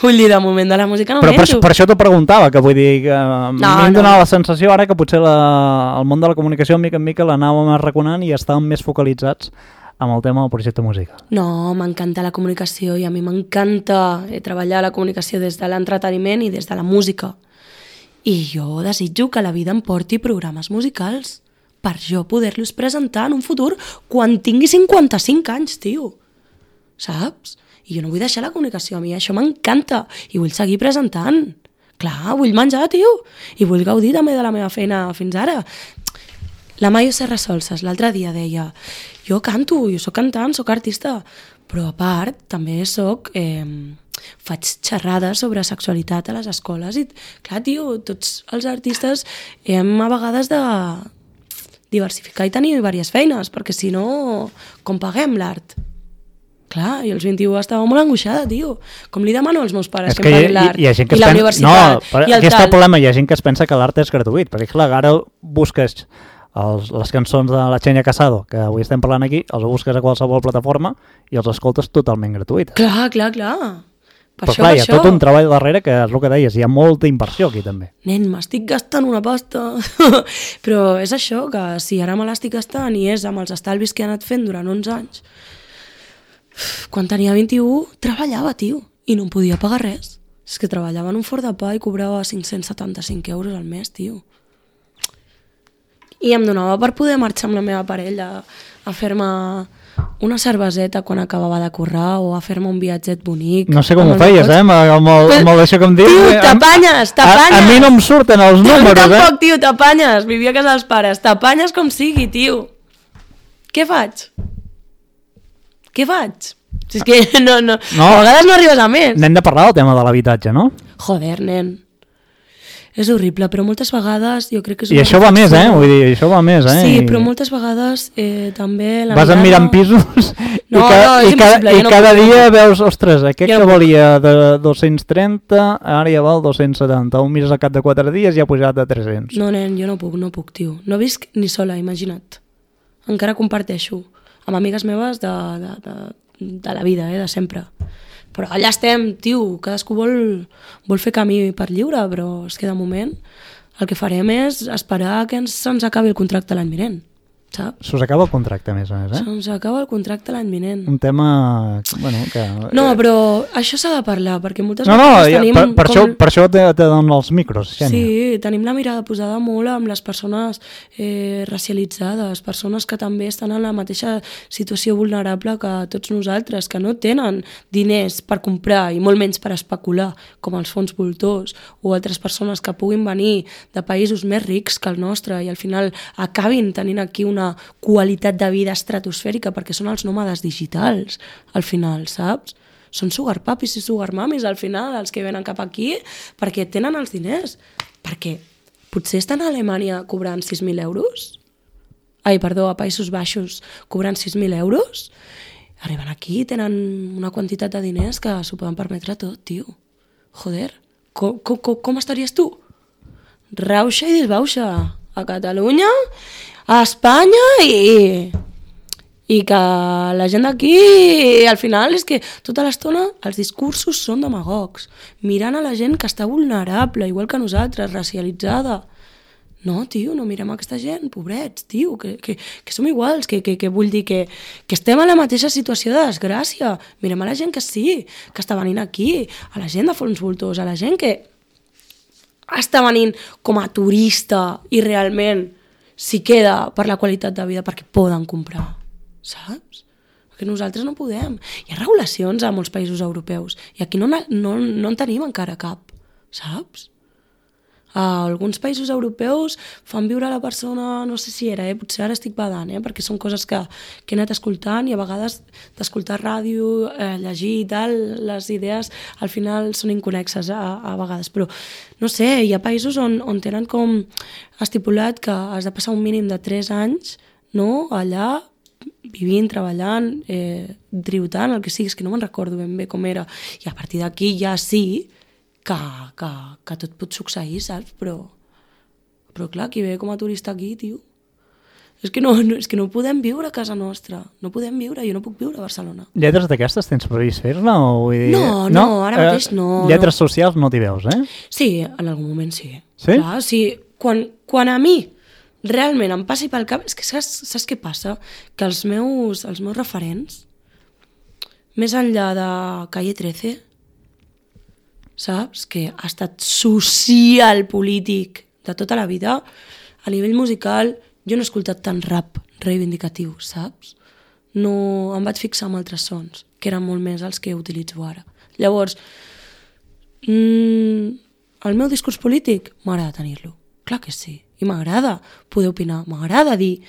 Speaker 3: vull dir, de moment de la música no
Speaker 2: Però
Speaker 3: menjo.
Speaker 2: per, per això t'ho preguntava, que vull dir que no, m'hem
Speaker 3: no.
Speaker 2: donat la sensació ara que potser la, el món de la comunicació mica en mica l'anàvem raconant i estàvem més focalitzats amb el tema del projecte musical.
Speaker 3: No, m'encanta la comunicació i a mi m'encanta treballar la comunicació des de l'entreteniment i des de la música. I jo desitjo que la vida em porti programes musicals per jo poder-los presentar en un futur quan tingui cinquanta-cinc anys, tio. Saps? I jo no vull deixar la comunicació, a mi això m'encanta i vull seguir presentant. Clar, vull menjar, tio, i vull gaudir també de la meva feina fins ara. La Maio Serra Solses l'altre dia deia jo canto, jo soc cantant, soc artista, però a part també soc, eh, faig xerrades sobre sexualitat a les escoles i clar, tio, tots els artistes hem a vegades de diversificar i tenir diverses feines, perquè si no, com paguem l'art? Clar, jo als vint-i-u estava molt angoixada, tio. Com li demano als meus pares que, que em paguin l'art i, i, i la universitat
Speaker 2: no,
Speaker 3: i el
Speaker 2: aquí
Speaker 3: tal.
Speaker 2: Està el problema, hi ha gent que es pensa que l'art és gratuït, perquè clar, ara busques els, les cançons de la Xenia Casado, que avui estem parlant aquí, els busques a qualsevol plataforma i els escoltes totalment gratuïtes.
Speaker 3: Clar, clar, clar. Per
Speaker 2: Però
Speaker 3: això,
Speaker 2: clar,
Speaker 3: per
Speaker 2: hi ha
Speaker 3: això.
Speaker 2: tot un treball darrere que és el que deies, hi ha molta inversió aquí també.
Speaker 3: Nen, m'estic gastant una pasta. Però és això, que si ara me l'estic gastant i és amb els estalvis que he anat fent durant onze anys, quan tenia vint-i-u treballava, tio, i no em podia pagar res. És que treballava en un forn de pa i cobrava cinc-cents setanta-cinc euros al mes, tio. I em donava per poder marxar amb la meva parella a fer-me una cerveseta quan acabava de currar o a fer-me un viatget bonic.
Speaker 2: No sé com ho
Speaker 3: amb els
Speaker 2: feies,
Speaker 3: amics.
Speaker 2: eh, amb, amb, el, amb el això que em dius.
Speaker 3: Tio,
Speaker 2: eh,
Speaker 3: t'apanyes, t'apanyes.
Speaker 2: A, a mi no em surten els números, eh?
Speaker 3: Tampoc, tio, t'apanyes. Vivia a casa dels pares. T'apanyes com sigui, tio. Què faig? Què faig? Si és que no, no,
Speaker 2: No.
Speaker 3: a vegades no arribes a més.
Speaker 2: N'hem de parlar del tema de l'habitatge, no?
Speaker 3: Joder, nen. És horrible, però moltes vegades jo crec que és
Speaker 2: I
Speaker 3: una
Speaker 2: això va més, eh?
Speaker 3: reflexió.
Speaker 2: Vull dir, això va més, eh?
Speaker 3: Sí,
Speaker 2: I
Speaker 3: però moltes vegades eh, també la
Speaker 2: vas
Speaker 3: mirada...
Speaker 2: mirant pisos
Speaker 3: No,
Speaker 2: i, ca
Speaker 3: no, és
Speaker 2: i, cada,
Speaker 3: impossible,
Speaker 2: i
Speaker 3: jo no
Speaker 2: cada
Speaker 3: puc.
Speaker 2: dia veus, ostres, aquest
Speaker 3: Jo
Speaker 2: que
Speaker 3: no puc.
Speaker 2: valia de dos-cents trenta, ara ja val dos-cents setanta. Ho mires al cap de quatre dies i ha pujat a tres-cents.
Speaker 3: No, nen, jo no puc, no puc, tio. No visc ni sola, imagina't. Encara comparteixo amb amigues meves de, de, de, de la vida, eh, de sempre. Però allà estem, tio, cadascú vol, vol fer camí per lliure, però és que de moment el que farem és esperar que ens, se'ns acabi el contracte l'any vinent, saps?
Speaker 2: S'us acaba el contracte, a més a més, eh?
Speaker 3: Se'ns acaba el contracte l'any vinent.
Speaker 2: Un tema... Bueno, que...
Speaker 3: No, però això s'ha de parlar, perquè moltes
Speaker 2: No, no,
Speaker 3: vegades
Speaker 2: ja,
Speaker 3: tenim...
Speaker 2: per, per,
Speaker 3: com-
Speaker 2: això, per això te, te donen els micros, Xènia.
Speaker 3: Sí, tenim la mirada posada molt amb les persones eh, racialitzades, persones que també estan en la mateixa situació vulnerable que tots nosaltres, que no tenen diners per comprar i molt menys per especular, com els fons voltors, o altres persones que puguin venir de països més rics que el nostre i al final acabin tenint aquí una qualitat de vida estratosfèrica perquè són els nòmades digitals, al final, saps? Són sugar papis i sugar mamis al final els que venen cap aquí perquè tenen els diners. Perquè potser estan a Alemanya cobrant sis mil euros, ai, perdó, a Països Baixos cobrant sis mil euros, arriben aquí i tenen una quantitat de diners que s'ho poden permetre tot, tio. Joder, com, com, com, com estaries tu? Rauxa i disbauxa a Catalunya, a Espanya i... i que la gent d'aquí, al final, és que tota l'estona els discursos són demagogs, mirant a la gent que està vulnerable, igual que nosaltres, racialitzada. No, tio, no mirem aquesta gent, pobrets, tio, que, que, que som iguals, que, que, que vull dir que, que estem a la mateixa situació de desgràcia. Mirem a la gent que sí, que està venint aquí, a la gent de fons voltors, a la gent que està venint com a turista i realment s'hi queda per la qualitat de vida perquè poden comprar, saps? Perquè nosaltres no podem. Hi ha regulacions a molts països europeus i aquí no, no, no en tenim encara cap, saps? A alguns països europeus fan viure a la persona, no sé si era, eh? Potser ara estic badant, eh? Perquè són coses que, que he anat escoltant i a vegades d'escoltar ràdio, eh, llegir i tal, les idees al final són inconnexes a, a vegades, però no sé, hi ha països on, on tenen com estipulat que has de passar un mínim de tres anys, no?, allà vivint, treballant, eh, tributant, el que sigui, és que no me'n recordo ben bé com era, i a partir d'aquí ja sí que, que, que tot pot succeir, saps? Però, però clar, qui ve com a turista aquí, tio, és que no, no, és que no podem viure a casa nostra, no podem viure, jo no puc viure a Barcelona.
Speaker 2: Lletres d'aquestes tens previst fer-ne? O vull dir...
Speaker 3: No, no, ara mateix no,
Speaker 2: Lletres
Speaker 3: no.
Speaker 2: socials no t'hi veus, eh?
Speaker 3: Sí, en algun moment sí.
Speaker 2: Sí?
Speaker 3: Clar, sí. Quan, quan a mi realment em passi pel cap... És que saps, saps què passa? Que els meus, els meus referents, més enllà de Calle trece, saps? Que ha estat social polític de tota la vida, a nivell musical jo no he escoltat tant rap reivindicatiu, saps? No, em vaig fixar en altres sons, que eren molt més els que utilitzo ara. Llavors, mmm, el meu discurs polític m'agrada tenir-lo, clar que sí, i m'agrada poder opinar, m'agrada dir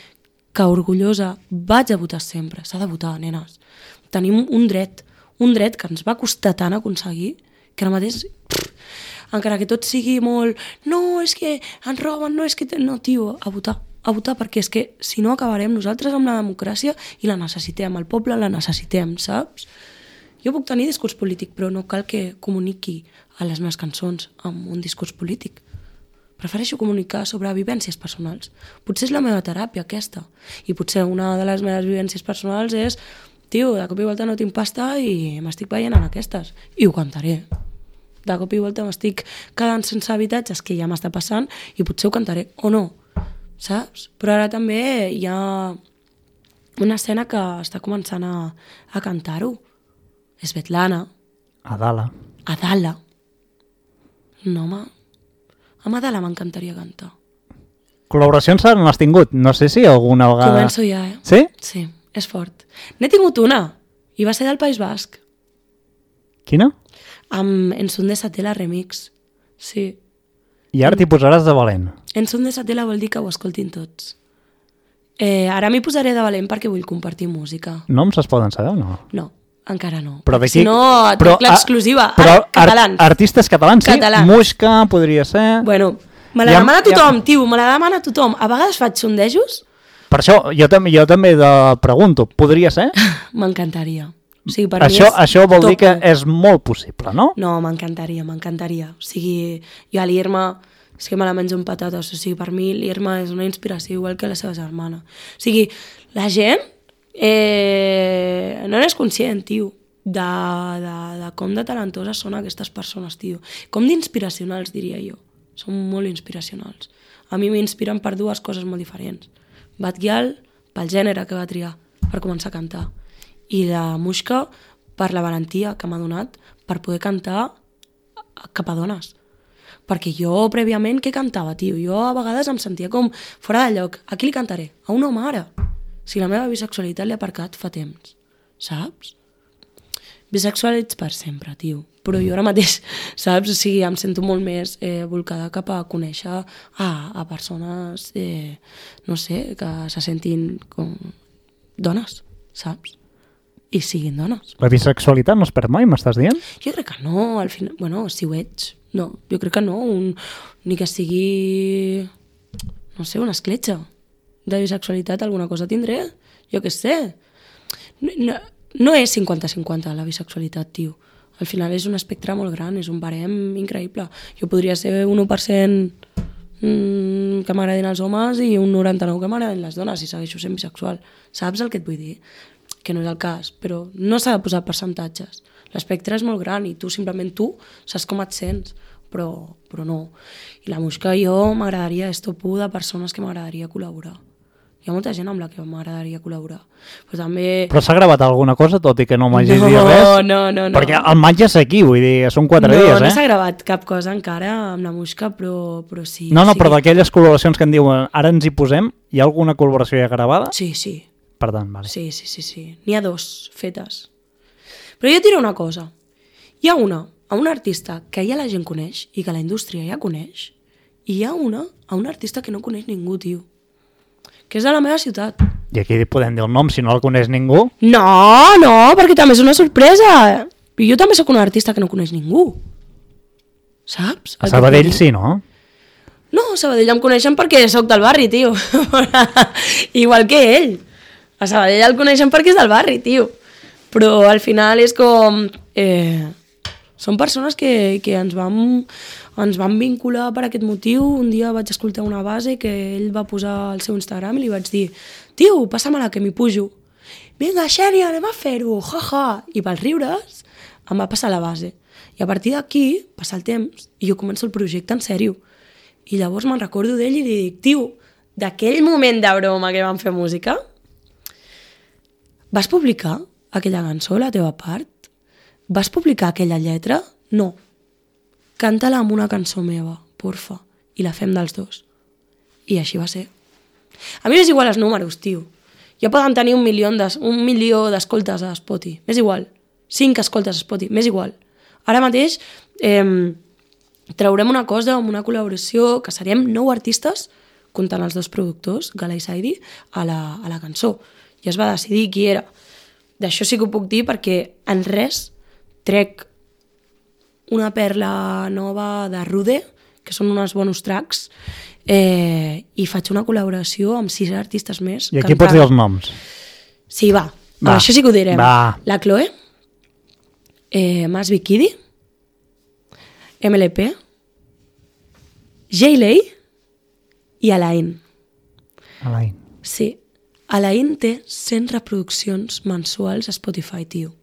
Speaker 3: que orgullosa vaig a votar sempre, s'ha de votar, nenes. Tenim un dret, un dret que ens va costar tant aconseguir, que ara mateix, pff, encara que tot sigui molt, no, és que ens roben, no, és que... No, tio, a votar, a votar, perquè és que si no acabarem nosaltres amb la democràcia i la necessitem, el poble la necessitem, saps? Jo puc tenir discurs polític, però no cal que comuniqui a les meves cançons amb un discurs polític. Prefereixo comunicar sobre vivències personals. Potser és la meva teràpia, aquesta. I potser una de les meves vivències personals és tio, de cop i volta no tinc pasta i m'estic veient en aquestes. I ho cantaré. De cop i volta m'estic quedant sense habitatges, que ja m'està passant, i potser ho cantaré, o no, saps? Però ara també hi ha una escena que està començant a, a cantar-ho. Svetlana.
Speaker 2: Adala.
Speaker 3: Adala. No, home. Amb Adala m'encantaria cantar.
Speaker 2: Col·laboracions no has tingut? No sé si alguna vegada...
Speaker 3: Començo ja, eh?
Speaker 2: Sí?
Speaker 3: Sí, és fort. N'he tingut una, i va ser del País Basc.
Speaker 2: Quina?
Speaker 3: Amb Ensun de Satela Remix. Sí.
Speaker 2: I ara t'hi posaràs de valent.
Speaker 3: Ensun de Satela vol dir que ho escoltin tots. Eh, ara m'hi posaré de valent perquè vull compartir música.
Speaker 2: Noms es poden saber o no?
Speaker 3: No, encara no.
Speaker 2: Però
Speaker 3: Si no, et
Speaker 2: però,
Speaker 3: dic l'exclusiva.
Speaker 2: Però
Speaker 3: Ar catalans.
Speaker 2: Art artistes catalans, sí?
Speaker 3: Catalans.
Speaker 2: Muixca podria ser...
Speaker 3: Bueno, me la
Speaker 2: Ja-
Speaker 3: demana tothom,
Speaker 2: ja-
Speaker 3: tio, me la demana tothom. A vegades faig sondejos,
Speaker 2: Per això, jo també, jo també de pregunto, podria ser?
Speaker 3: m'encantaria. O sigui, per
Speaker 2: Això,
Speaker 3: mi és
Speaker 2: això vol dir
Speaker 3: top
Speaker 2: que
Speaker 3: u.
Speaker 2: és molt possible, no?
Speaker 3: No, m'encantaria, m'encantaria. O sigui, jo a l'Irma és que me la menjo amb patates. O sigui, per mi l'Irma és una inspiració igual que la seva germana. O sigui, la gent eh, no n'és conscient, tio, de, de, de com de talentoses són aquestes persones, tio. Com d'inspiracionals, diria jo. Són molt inspiracionals. A mi m'inspiren per dues coses molt diferents. Batguial, pel gènere que va triar per començar a cantar. I la Muixca, per la valentia que m'ha donat per poder cantar cap a dones. Perquè jo, prèviament, què cantava, tio? Jo a vegades em sentia com fora de lloc. A qui li cantaré? A un home ara. Si la meva bisexualitat l'he aparcat fa temps. Saps? Bisexual ets per sempre, tio. Però jo ara mateix, saps? O sigui, em sento molt més eh, volcada cap a conèixer a, a persones, eh, no sé, que se sentin com dones, saps? I siguin dones.
Speaker 2: La bisexualitat no es perd mai, m'estàs dient?
Speaker 3: Jo crec que no, al final... Bueno, si ho ets, no. Jo crec que no. Un, ni que sigui, no sé, una escletxa de bisexualitat, alguna cosa tindré. Jo què sé. No, no, no és cinquanta cinquanta la bisexualitat, tio. Al final és un espectre molt gran, és un barem increïble. Jo podria ser un u per cent mmm, que m'agradin els homes i un noranta-nou que m'agradin les dones i segueixo sent bisexual. Saps el que et vull dir? Que no és el cas, però no s'ha de posar percentatges. L'espectre és molt gran i tu, simplement tu, saps com et sents, però, però no. I la Muixca, jo m'agradaria, és top u de persones que m'agradaria col·laborar. Hi ha molta gent amb la que m'agradaria col·laborar. Però també...
Speaker 2: Però s'ha gravat alguna cosa, tot i que no m'hagis
Speaker 3: No,
Speaker 2: dit res?
Speaker 3: no, no, no.
Speaker 2: Perquè el maig és aquí, vull dir, són quatre
Speaker 3: no,
Speaker 2: dies, eh?
Speaker 3: No s'ha gravat cap cosa encara amb la Muixca, però, però sí.
Speaker 2: No, no,
Speaker 3: sí
Speaker 2: però
Speaker 3: que-
Speaker 2: d'aquelles col·laboracions que en diuen ara ens hi posem, hi ha alguna col·laboració ja gravada?
Speaker 3: Sí, sí.
Speaker 2: Per tant, vale.
Speaker 3: Sí, sí, sí, sí. N'hi ha dos fetes. Però jo et diré una cosa. Hi ha una a un artista que ja la gent coneix i que la indústria ja coneix, i hi ha una a un artista que no coneix ningú, tio. Que és de la meva ciutat.
Speaker 2: I aquí podem dir el nom, si no el coneix ningú.
Speaker 3: No, no, perquè també és una sorpresa. I jo també sóc un artista que no coneix ningú. Saps?
Speaker 2: A
Speaker 3: El que
Speaker 2: Sabadell
Speaker 3: vull dir?
Speaker 2: sí, no?
Speaker 3: No, a Sabadell em coneixen perquè sóc del barri, tio. Igual que ell. A Sabadell el coneixen perquè és del barri, tio. Però al final és com... Eh, són persones que, que ens, vam, ens van vincular per aquest motiu. Un dia vaig escoltar una base que ell va posar al seu Instagram i li vaig dir: tio, passa-me-la que m'hi pujo. Vinga, Xènia, anem a fer-ho, jaja. I pels riures em va passar la base. I a partir d'aquí passa el temps i jo començo el projecte en sèrio. I llavors me'n recordo d'ell i li dic: tio, d'aquell moment de broma que vam fer música, vas publicar aquella cançó, la teva part? Vas publicar aquella lletra? No. Canta-la amb una cançó meva, porfa. I la fem dels dos. I així va ser. A mi m'és igual els números, tio. Ja poden tenir un milió de, un milió d'escoltes a Spotify. M'és igual. Cinc escoltes a Spotify. M'és igual. Ara mateix eh, traurem una cosa amb una col·laboració que seríem nou artistes, comptant els dos productors, Gala i Saidi, a la, a la cançó. I es va decidir qui era. D'això sí que ho puc dir perquè en res trec una perla nova de Rude, que són uns bonus tracks, eh, i faig una col·laboració amb sis artistes més.
Speaker 2: I aquí pots dir els noms.
Speaker 3: Sí, va.
Speaker 2: Va.
Speaker 3: Això sí que ho direm.
Speaker 2: Va.
Speaker 3: La Chloe, eh, Mas Bikidi, M L P, J-Lay i Alain.
Speaker 2: Alain.
Speaker 3: Sí. Alain té cent reproduccions mensuals a Spotify, tio.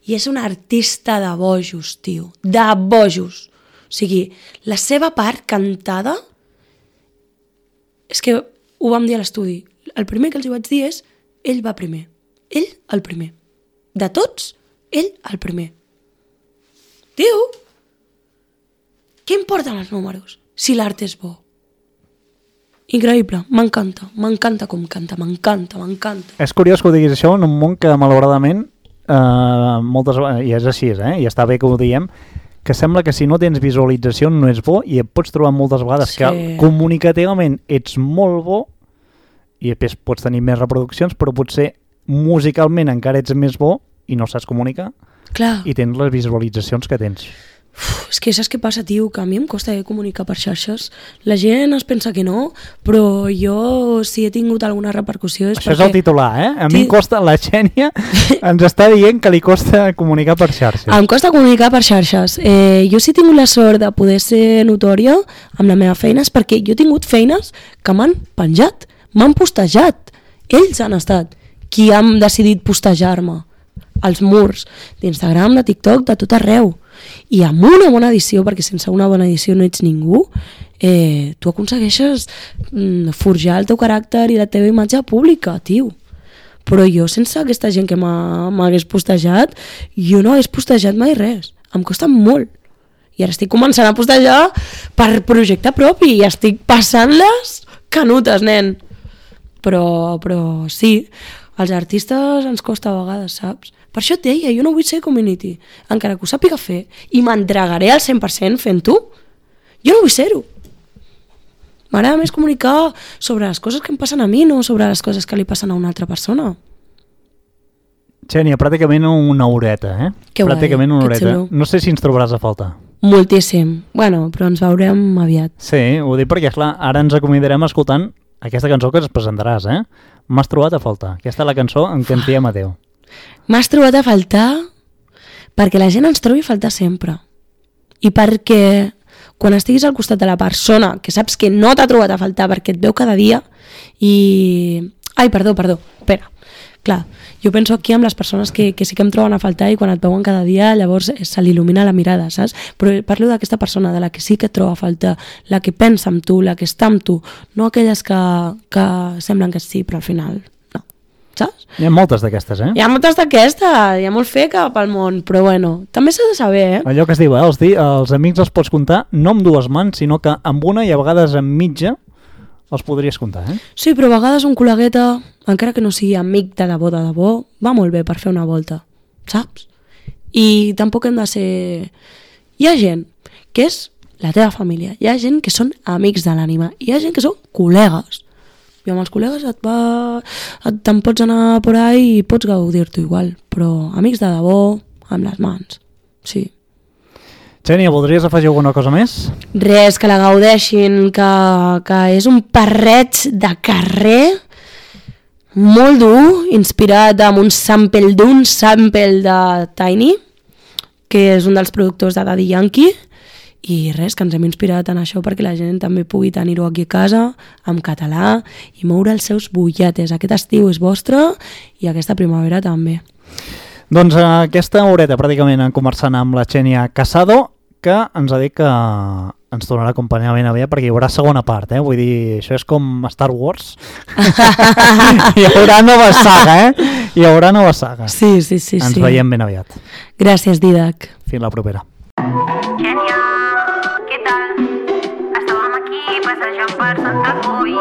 Speaker 3: I és un artista de bojos, tio. De bojos. O sigui, la seva part cantada... És que ho vam dir a l'estudi. El primer que els hi vaig dir és ell va primer. Ell el primer. De tots, ell el primer. Tio, què importen els números si l'art és bo? Increïble, m'encanta, m'encanta com canta, m'encanta, m'encanta.
Speaker 2: És curiós que ho diguis això en un món que malauradament eh, moltes vegades, i és així, eh, i està bé que ho diem, que sembla que si no tens visualització no és bo i et pots trobar moltes vegades sí. que comunicativament ets molt bo i després pots tenir més reproduccions, però potser musicalment encara ets més bo i no saps comunicar.
Speaker 3: Clar.
Speaker 2: I tens les visualitzacions que tens.
Speaker 3: Uf, és que saps què passa, tio? Que a mi em costa comunicar per xarxes. La gent es pensa que no, però jo si he tingut alguna repercussió és
Speaker 2: Això
Speaker 3: perquè...
Speaker 2: és el titular, eh? A mi
Speaker 3: Ti...
Speaker 2: em costa, la Xènia ens està dient que li costa comunicar per xarxes.
Speaker 3: Em costa comunicar per xarxes. Eh, jo sí he tingut la sort de poder ser notòria amb la meva feina, és perquè jo he tingut feines que m'han penjat, m'han postejat. Ells han estat qui han decidit postejar-me als murs d'Instagram, de TikTok, de tot arreu. I amb una bona edició, perquè sense una bona edició no ets ningú, eh, tu aconsegueixes mm, forjar el teu caràcter i la teva imatge pública, tio. Però jo, sense aquesta gent que m'hagués postejat, jo no hagués postejat mai res. Em costa molt. I ara estic començant a postejar per projecte propi i estic passant-les canutes, nen. Però, però sí, als artistes ens costa a vegades, saps? Per això et deia, jo no vull ser community, encara que ho sàpiga fer, i m'entregaré al cent per cent fent-ho. Jo no vull ser-ho. M'agrada més comunicar sobre les coses que em passen a mi, no sobre les coses que li passen a una altra persona.
Speaker 2: Xènia, pràcticament una horeta, eh?
Speaker 3: Que guai,
Speaker 2: pràcticament una
Speaker 3: que
Speaker 2: horeta.
Speaker 3: xulo.
Speaker 2: No sé si ens trobaràs a falta.
Speaker 3: Moltíssim. Bueno, però ens veurem aviat.
Speaker 2: Sí, ho dic perquè, clar, ara ens acomiadarem escoltant aquesta cançó que ens presentaràs, eh? M'has trobat a faltar. Aquesta és la cançó en què ens diem adeu.
Speaker 3: M'has trobat a faltar perquè la gent ens trobi a faltar sempre. I perquè quan estiguis al costat de la persona que saps que no t'ha trobat a faltar perquè et veu cada dia i... Ai, perdó, perdó, espera. Clar, jo penso aquí amb les persones que, que sí que em troben a faltar i quan et veuen cada dia llavors se l'il·lumina la mirada, saps? Però parlo d'aquesta persona, de la que sí que et troba a faltar, la que pensa en tu, la que està amb tu, no aquelles que, que semblen que sí, però al final no, saps?
Speaker 2: Hi ha moltes d'aquestes, eh?
Speaker 3: Hi ha moltes d'aquestes, hi ha molt feca pel món, però bueno, també s'ha de saber, eh?
Speaker 2: Allò que es diu, eh? Els, di els amics els pots comptar no amb dues mans, sinó que amb una i a vegades amb mitja els podries comptar, eh?
Speaker 3: Sí, però a vegades un col·legueta, encara que no sigui amic de debò, de debò, va molt bé per fer una volta, saps? I tampoc hem de ser... Hi ha gent que és la teva família, hi ha gent que són amics de l'ànima, hi ha gent que són col·legues. I amb els col·legues et va... te'n pots anar por ahí i pots gaudir-t'ho igual, però amics de debò, amb les mans, sí.
Speaker 2: Xènia, voldries afegir alguna cosa més?
Speaker 3: Res, que la gaudeixin, que, que és un parreig de carrer molt dur, inspirat amb un sample d'un sample de Tiny, que és un dels productors de Daddy Yankee, i res, que ens hem inspirat en això perquè la gent també pugui tenir-ho aquí a casa, en català, i moure els seus bullates. Aquest estiu és vostre i aquesta primavera també.
Speaker 2: Doncs aquesta horeta pràcticament conversant amb la Xènia Casado, que ens ha dit que ens tornarà a acompanyar ben aviat perquè hi haurà segona part, eh? Vull dir, això és com Star Wars. Hi haurà nova saga, eh? Hi haurà nova saga.
Speaker 3: Sí, sí, sí.
Speaker 2: Ens
Speaker 3: sí.
Speaker 2: veiem ben aviat.
Speaker 3: Gràcies, Didac.
Speaker 2: Fins la propera.
Speaker 1: Xènia, què tal? Estàvem aquí passejant per Santa Coi.